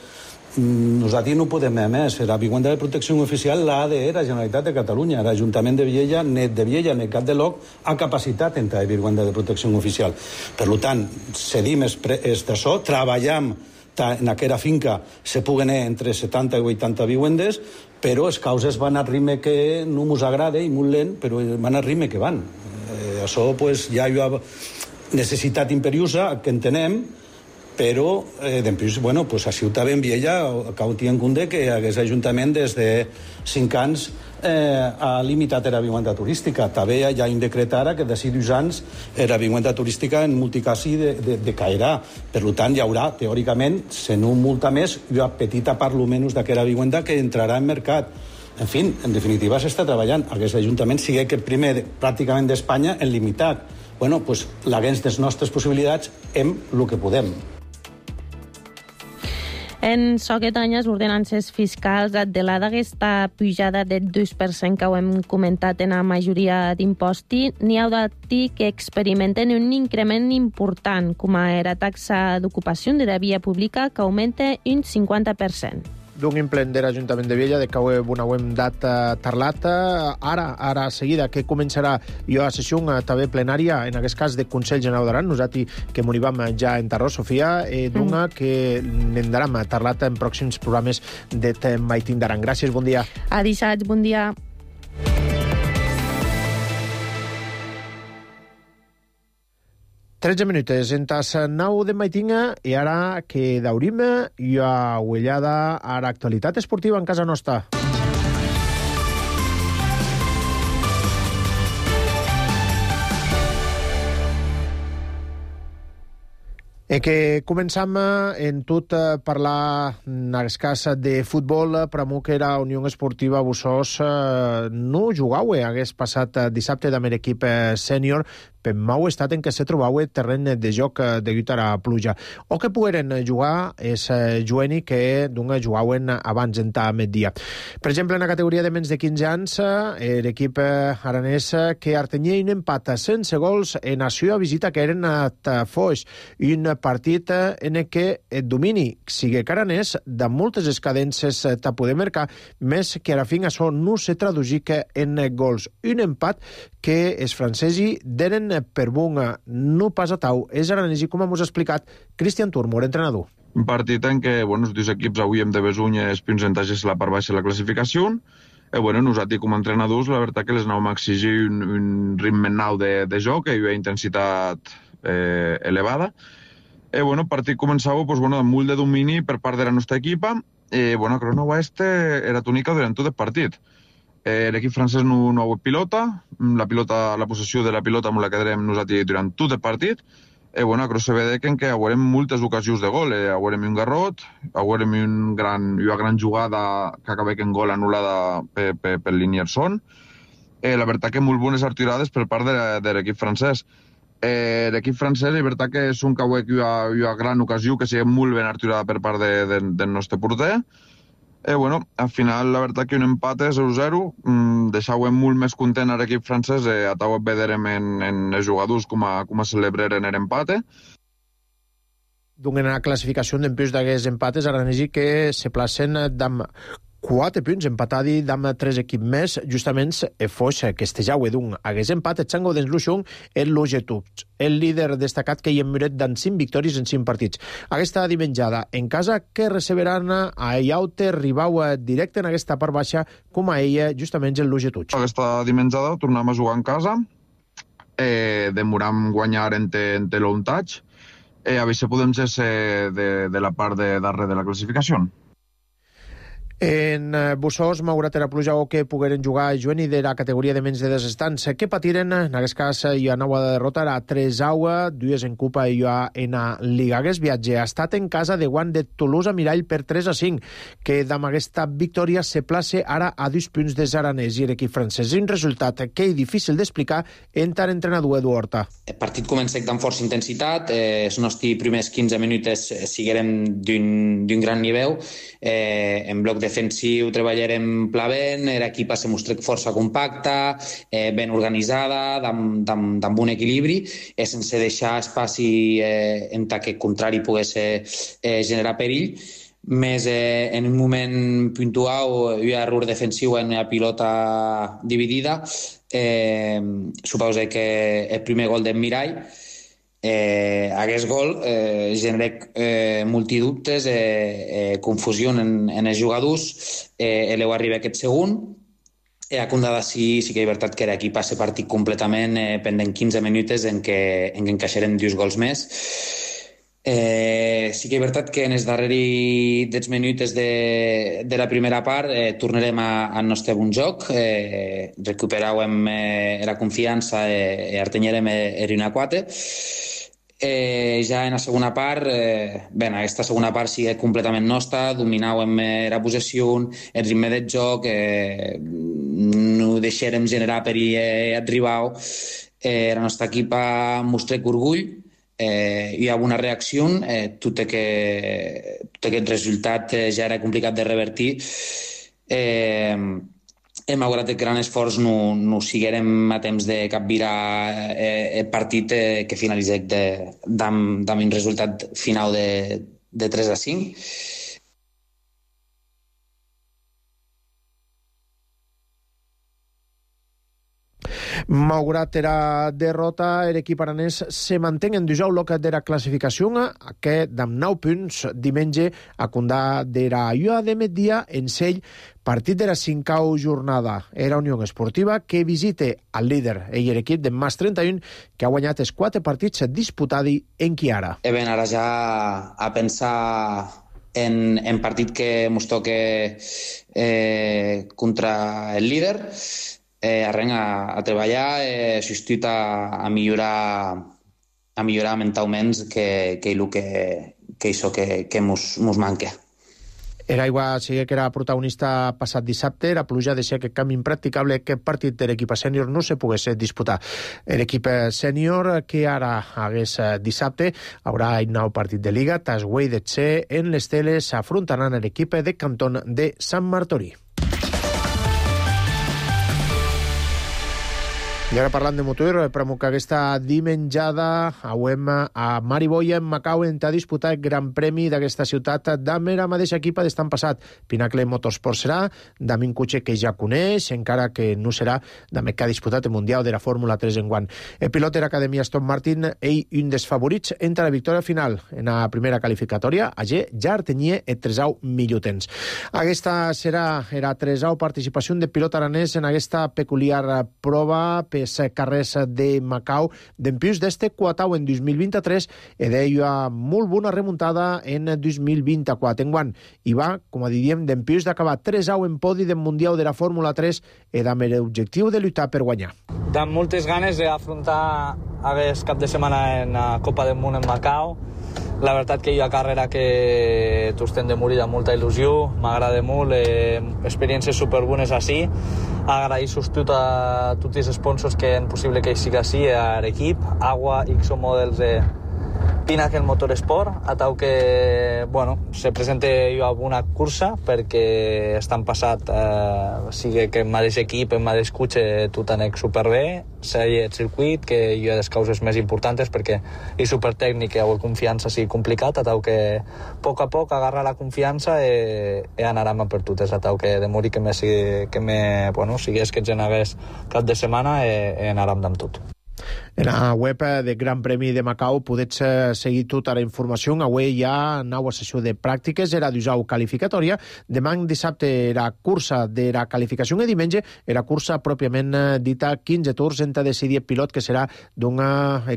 Nosaltres no podem més. La vivenda de protecció oficial l'ha de la Generalitat de Catalunya. L'Ajuntament de Viella, net de Viella, net Cap de Loc, ha capacitat en la vivenda de protecció oficial. Per tant, cedim d'això, treballem en aquella finca, se puguen entre 70 i 80 vivendes, però les causes van al ritme que no ens agrada i molt lent, però van al ritme que van. Això ja hi ha necessitat imperiosa, que entenem, però després, a Ciutat ben Viella cal tenir en compte que aquest Ajuntament des de 5 anys ha limitat la vivenda turística. També hi ha un decret ara que d'ací 2 anys la vivenda turística en multicasi decaerà. Per tant, hi haurà, teòricament, si no multa més, una petita part almenys d'aquesta vivenda que entrarà en mercat. En fi, en definitiva, s'està treballant. Aquest Ajuntament sigui el primer pràcticament d'Espanya en limitat. L'aguens de les nostres possibilitats hem el que podem. En aquest any, les ordenances fiscals adelada aquesta pujada del 2% que ho hem comentat en la majoria d'impostos, n'hi ha de dir que experimenten un increment important, com la taxa d'ocupació de la via pública, que augmenta un 50%. D'un implent de l'Ajuntament de Viella, de que ho hem dat parlat. Ara, seguida, que començarà la sessió també plenària, en aquest cas de Consell General d'Aran, nosaltres que m'hi vam ja enterrar, Sofia, d'una que n'hem parlat en pròxims programes de Maitín d'Aran. Gràcies, bon dia. A dissabte, bon dia. 13 minuts, en tas 9 de Maitinga, i ara que daurim i a uellada a l'actualitat esportiva en casa nostra. Que començam en tot parlar en aquest cas de futbol, però que era Unió Esportiva Bussos no jugau hagués passat dissabte amb l'equip sènior per mau estat en què se trobava terreny de joc degut a la pluja. O que pogueren jugar és jueni que jugaven abans en migdia. Per exemple, en la categoria de menys de 15 anys, l'equip aranès que artenia un empat sense gols en la seva visita que eren a Foix, un partit en què el domini sigui caranès de moltes escadences de poder marcar, més que a la fin això no se traduïca en gols. Un empat que els francesi deren per bunga, no pas a tau. És aranesi, com hem explicat, Cristian Turmor, entrenador. Un partit en què els dos equips avui hem de besunya els percentatges la part baixa de la classificació. Nosaltres com a entrenadors, la veritat que les anàvem a exigir un ritme nou de joc i una intensitat elevada. El partit començava amb molt de domini per part de la nostra equipa. A Crona Oeste era túnica durant tot el partit. L'equip francès no ha hagut pilota, la possessió de la pilota amb la quedarem nosaltres durant tot el partit. Però se vede que haurem moltes ocasions de gol. Haurem un garrot, haurem una gran jugada que acaba en gol anul·lada per Linierson. La veritat que molt bones artirades per part de l'equip francès. L'equip francès, la veritat que és un cauet i una gran ocasió que sigui molt ben artirada per part del nostre porter. Al final, la veritat que un empat 0-0 deixava molt més content a l'equip francès. A tau veurem en els jugadors com a celebraren l'empat. En la classificació d'empús d'aquests empates, aranesi que se placen amb 4 punts, empatadi amb 3 equips més, justament fos que jau d'un hagués empat, et sango dens l'Uixong el Logetuts, el líder destacat que hi hem mirat d'en 5 victòries en 5 partits. Aquesta dimenjada en casa que receberan a Iaute, ribau directe en aquesta part baixa, com a ella, justament el Logetuts. Aquesta dimenjada tornem a jugar en casa, demoram guanyar en l'ontatge, a veure si podem ser de la part de darrere de la classificació. En Bussós, malgrat la pluja o que pogueren jugar juvenil de la categoria de menys de 10 estants, que patiren, en aquest cas, hi ha nova derrota a 3-0, 2 en Copa i en Liga. Aquest viatge ha estat en casa de guant de Toulouse a Mirall per 3-5, que amb aquesta victòria se place ara a 2 punts de Zaranès i l'equip francès. Un resultat que és difícil d'explicar entre l'entrenador Edu Horta. El partit comença amb força intensitat, els nostres primers 15 minuts siguérem d'un gran nivell, en bloc defensiu treballarem plavent, l'equip se mostra força compacta, ben organitzada, amb un equilibri, sense deixar espaci en que el contrari pogués generar perill. Més en un moment puntual hi ha error defensiu en la pilota dividida. Suposo que el primer gol d'en Mirall, aquest gol genera multidubtes, confusió en els jugadors, l'eu arriba aquest segon, a Condada sí que és veritat que l'equip passa partit completament pendent 15 minuts en què encaixarem 2 gols més. Sí que és veritat que en els darrers 10 minuts de la primera part tornarem al nostre bon joc, recuperarem la confiança i artenyarem l'1-4. Ja en la segona part, aquesta segona part sí que és completament nostra, dominàvem la possessió, el ritme del joc, no deixarem generar perill al rival, la nostra equip mostra orgull, hi ha una reacció, tot aquest resultat ja era complicat de revertir. Malgrat el gran esforç no siguérem a temps de capgirar el partit que finalitzés amb un resultat final de 3-5. Malgrat la derrota, l'equip aranès se manté en dijous loc de la classificació, que amb 9 punts diumenge a condà de la llua de migdia en sell partit de la 5a jornada. Era Unió Esportiva que visite el líder i l'equip de Mas 31 que ha guanyat els 4 partits disputats en Chiara. Ara ja a pensar en partit que ens toca contra el líder, arrenc a treballar, substitut a millorar mentalment que això que mos manca. L'aigua sí que era protagonista passat dissabte, la pluja deixa que canvi impracticable que partit de l'equip sènior no se pogués disputar. L'equip sènior que ara hagués dissabte haurà un nou partit de Liga, Tasway de Tse en les teles afrontaran l'equip de Cantón de Sant Martorí. I ara parlant de motor, però que aquesta dimenjada hauem a Mariboia, en Macau, on ha disputat el Gran Premi d'aquesta ciutat amb la mateixa equipa d'estan passat. Pinacle Motorsport serà, amb un cotxe que ja coneix, encara que no serà amb el que ha disputat el Mundial de la Fórmula 3 enguant. El pilot de l'Acadèmia Aston Martin, ell un dels favorits entre la victòria final en la primera qualificatòria, allí ja tenia el 3au millor temps. Aquesta serà la 3au participació de pilot aranès en aquesta peculiar prova per carrers de Macau, dempius d'este 4au en 2023 i deia molt bona remuntada en 2024. Enguant hi va, com diríem, dempius d'acabar 3au en podi del Mundial de la Fórmula 3 i amb l'objectiu de lluitar per guanyar. Amb moltes ganes d'afrontar aquest cap de setmana en la Copa del Món en Macau. La veritat que hi ha carrera que tots estem de morir amb molta il·lusió, m'agrada molt, experiències superbones així. Agrair substitut a tots els sponsors que han possible que sigui així, a l'equip, Agua, XO Models Pinakel Motorsport, atau que, se presente jo a una cursa perquè estan passat, sigui que el mateix equip, el mateix cotxe, tot anec superbé, sigui el circuit, que jo he des causes més importants perquè és supertècnic i la confiança sigui complicat, atau que a poc agarrar la confiança i anàrem per totes, atau que de morir que sigués que generés cap de setmana i anàrem amb tot. En la web del Gran Premi de Macau podets seguir tota la informació. Avui hi ha nova sessió de pràctiques, era d'usau qualificatòria. Demà dissabte era cursa de la qualificació i diumenge era cursa pròpiament dita 15 tours entre decidir el pilot que serà d'un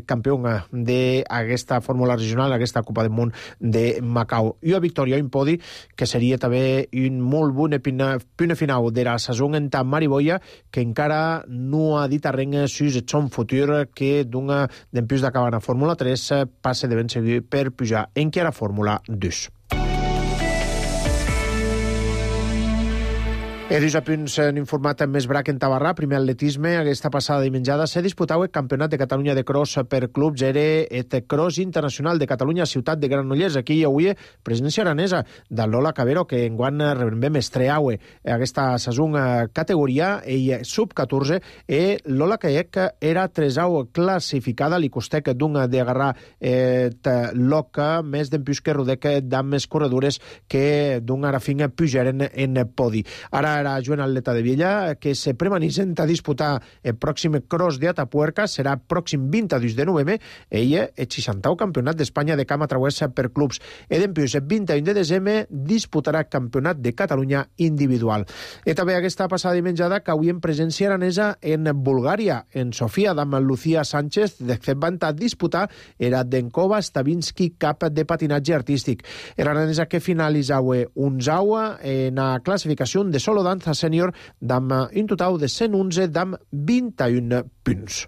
campió d'aquesta fórmula regional, aquesta Copa del Món de Macau. I a victòria en podi, que seria també un molt bon punt final de la saison en Mariboia, que encara no ha dit arrenc sus el son futur, que d'una d'empús d'acabar a Fórmula 3 passe de ben seguir per pujar en qui era Fórmula 2. Edus a punts han informat més brac en Tabarrà. Primer atletisme, aquesta passada dimenjada s'ha disputat el Campionat de Catalunya de Cross per clubs. Era el Cross Internacional de Catalunya, ciutat de Granollers. Aquí hi havia presència aranesa de Lola Cabero, que enguany rebem estreaue aquesta saison categoria, ell sub-14, i Lola Caiec era tresau classificada, li costec d'un d'agarrar l'oca més d'empús que rodec d'am més corredores que d'un arafín pujaren en podi. Ara era Joan Atleta de Viella, que se premanitzen a disputar el pròxim Cross de Atapuerca, serà pròxim 22 de novembre, ella el 60º campionat d'Espanya de cama travessa per clubs. I d'empius, el 21 de desembre disputarà campionat de Catalunya individual. I també aquesta passada dimenjada que avui en presència aranesa en Bulgària, en Sofia, amb Lucía Sánchez, de fet van a disputar era Denkova Stavinsky Cup de patinatge artístic. Era aranesa que finalitzava un zaua en la classificació de solo danza sènior d'am un total de 111 d'am 21 punts.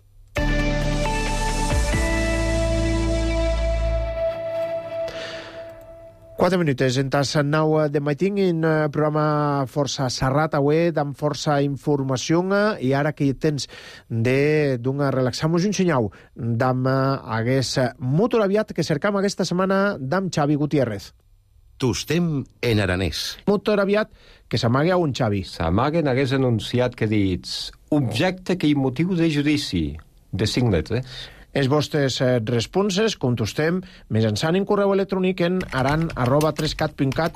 Quatre minuts, en tas 9 de matí, en programa força serrat avui, amb força informació, i ara que tens d'una relaxar-nos un senyal d'am hagués motor aviat que cercam aquesta setmana d'am Xavi Gutiérrez. Tostem en aranès. Motor aviat que s'amaga a un Xavi. S'amaguen hagués anunciat que dits objecte que hi motiu de judici, de 5 letres. Els vostres responses contestem mitjançant en correu electrònic en aran@3cat.cat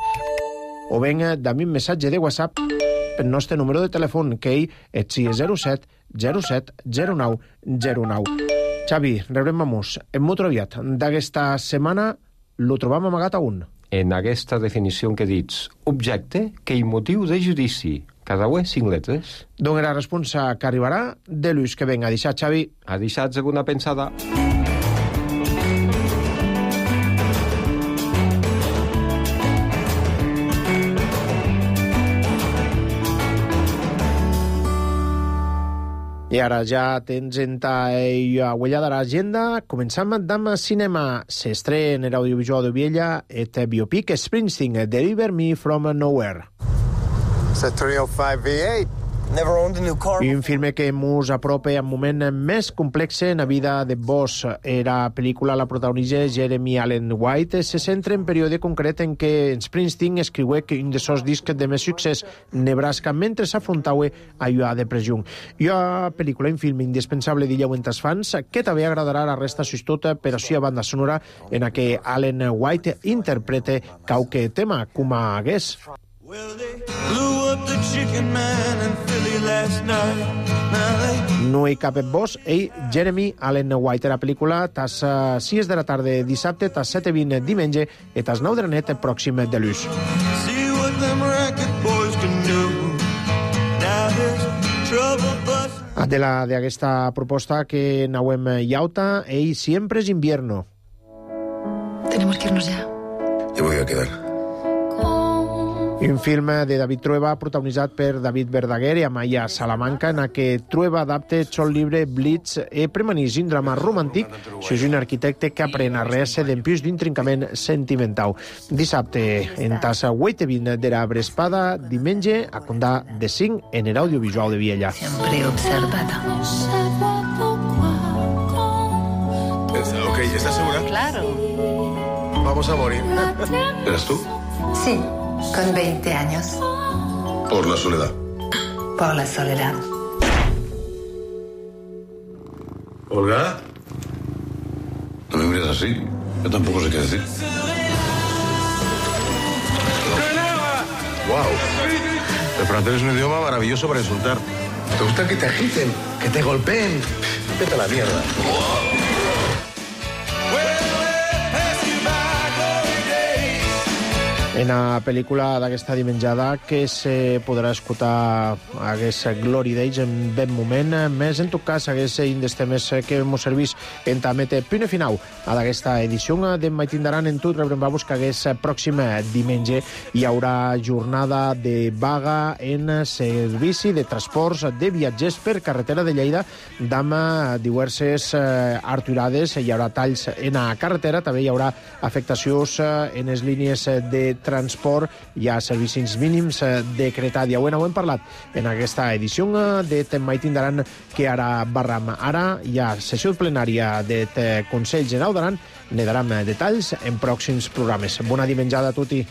o ben d'ami un missatge de WhatsApp pel nostre número de telèfon, que és 607 07 09 09. Xavi, rebrem-nos en motor aviat d'aquesta setmana, lo trobam amagat a un. En aquesta definició que dits objecte que hi motiu de judici, cada ué 5 letres. D'on la responsa que arribarà de l'ús que venga. Deixat, Xavi. Ha deixat alguna pensada. I ara ja tens en ta huella de l'agenda. Començam amb cinema. S'estrena en l'audiovisual de Viella et biopic Springsteen, Deliver Me From Nowhere. It's a 305 V8. Never owned a new car. I un film que mos apropa en moment més complex en la vida de Boss. La pel·lícula la protagonitza Jeremy Allen White. Se centra en període concret en què Springsteen escriué un dels seus discs de més succés, Nebraska, mentre s'afrontava a la depressió. I una pel·lícula, un film indispensable d'illeu entre els fans, que també agradarà a la resta sostota, però sí a banda sonora en la que Allen White interpreta qualque tema, com a hagués. No hi cap Boss, ell, Jeremy Allen White. La pel·lícula tas 6 de la tarda dissabte, tas 7:20 diumenge i tas 9 de la nit pròxim de l'ús. D'aquesta proposta que anauem llauta, ell sempre és invierno. Tenemos que irnos ya. Yo voy a quedar. Un film de David Trueba protagonitzat per David Verdaguer i Amaya Salamanca, en què Trueba adapta el sol llibre Blitz i premanís un drama romàntic sobre un arquitecte que aprèn a rear-se d'empús d'un trincament sentimental. Dissabte, en tassa 8:20 de la Brespada, diumenge, a condar de 5 en l'audiovisual de Viella. Siempre observada. Ok, ¿estás segura? Claro. vamos a morir. ¿Eres tú? Sí, con 20 años. Por la soledad. Por la soledad. ¿Olga? No me mires así. Yo tampoco sé qué decir. ¡Wow! El francés es un idioma maravilloso para insultar. ¿Te gusta que te agiten? ¿Que te golpeen? Vete a la mierda. En la pel·lícula d'aquesta dimenjada que se podrà escoltar hagués Glory Days en ben moment, més en tot cas hagués un dels temes que mos servís en també punt final a d'aquesta edició de Maitindaran en tot. Rebrem-vos que hagués pròxim diumenge hi haurà jornada de vaga en servici de transports de viatgers per carretera de Lleida amb diverses aturades. Hi haurà talls en la carretera, també hi haurà afectacions en les línies de transport, hi ha servicis mínims decretat. Ja ho hem parlat en aquesta edició de Maitindaran que ara barram. Ara hi ha sessió plenària del Consell General d'Aran, ne daram detalls en pròxims programes. Bona dimenjada a tutti.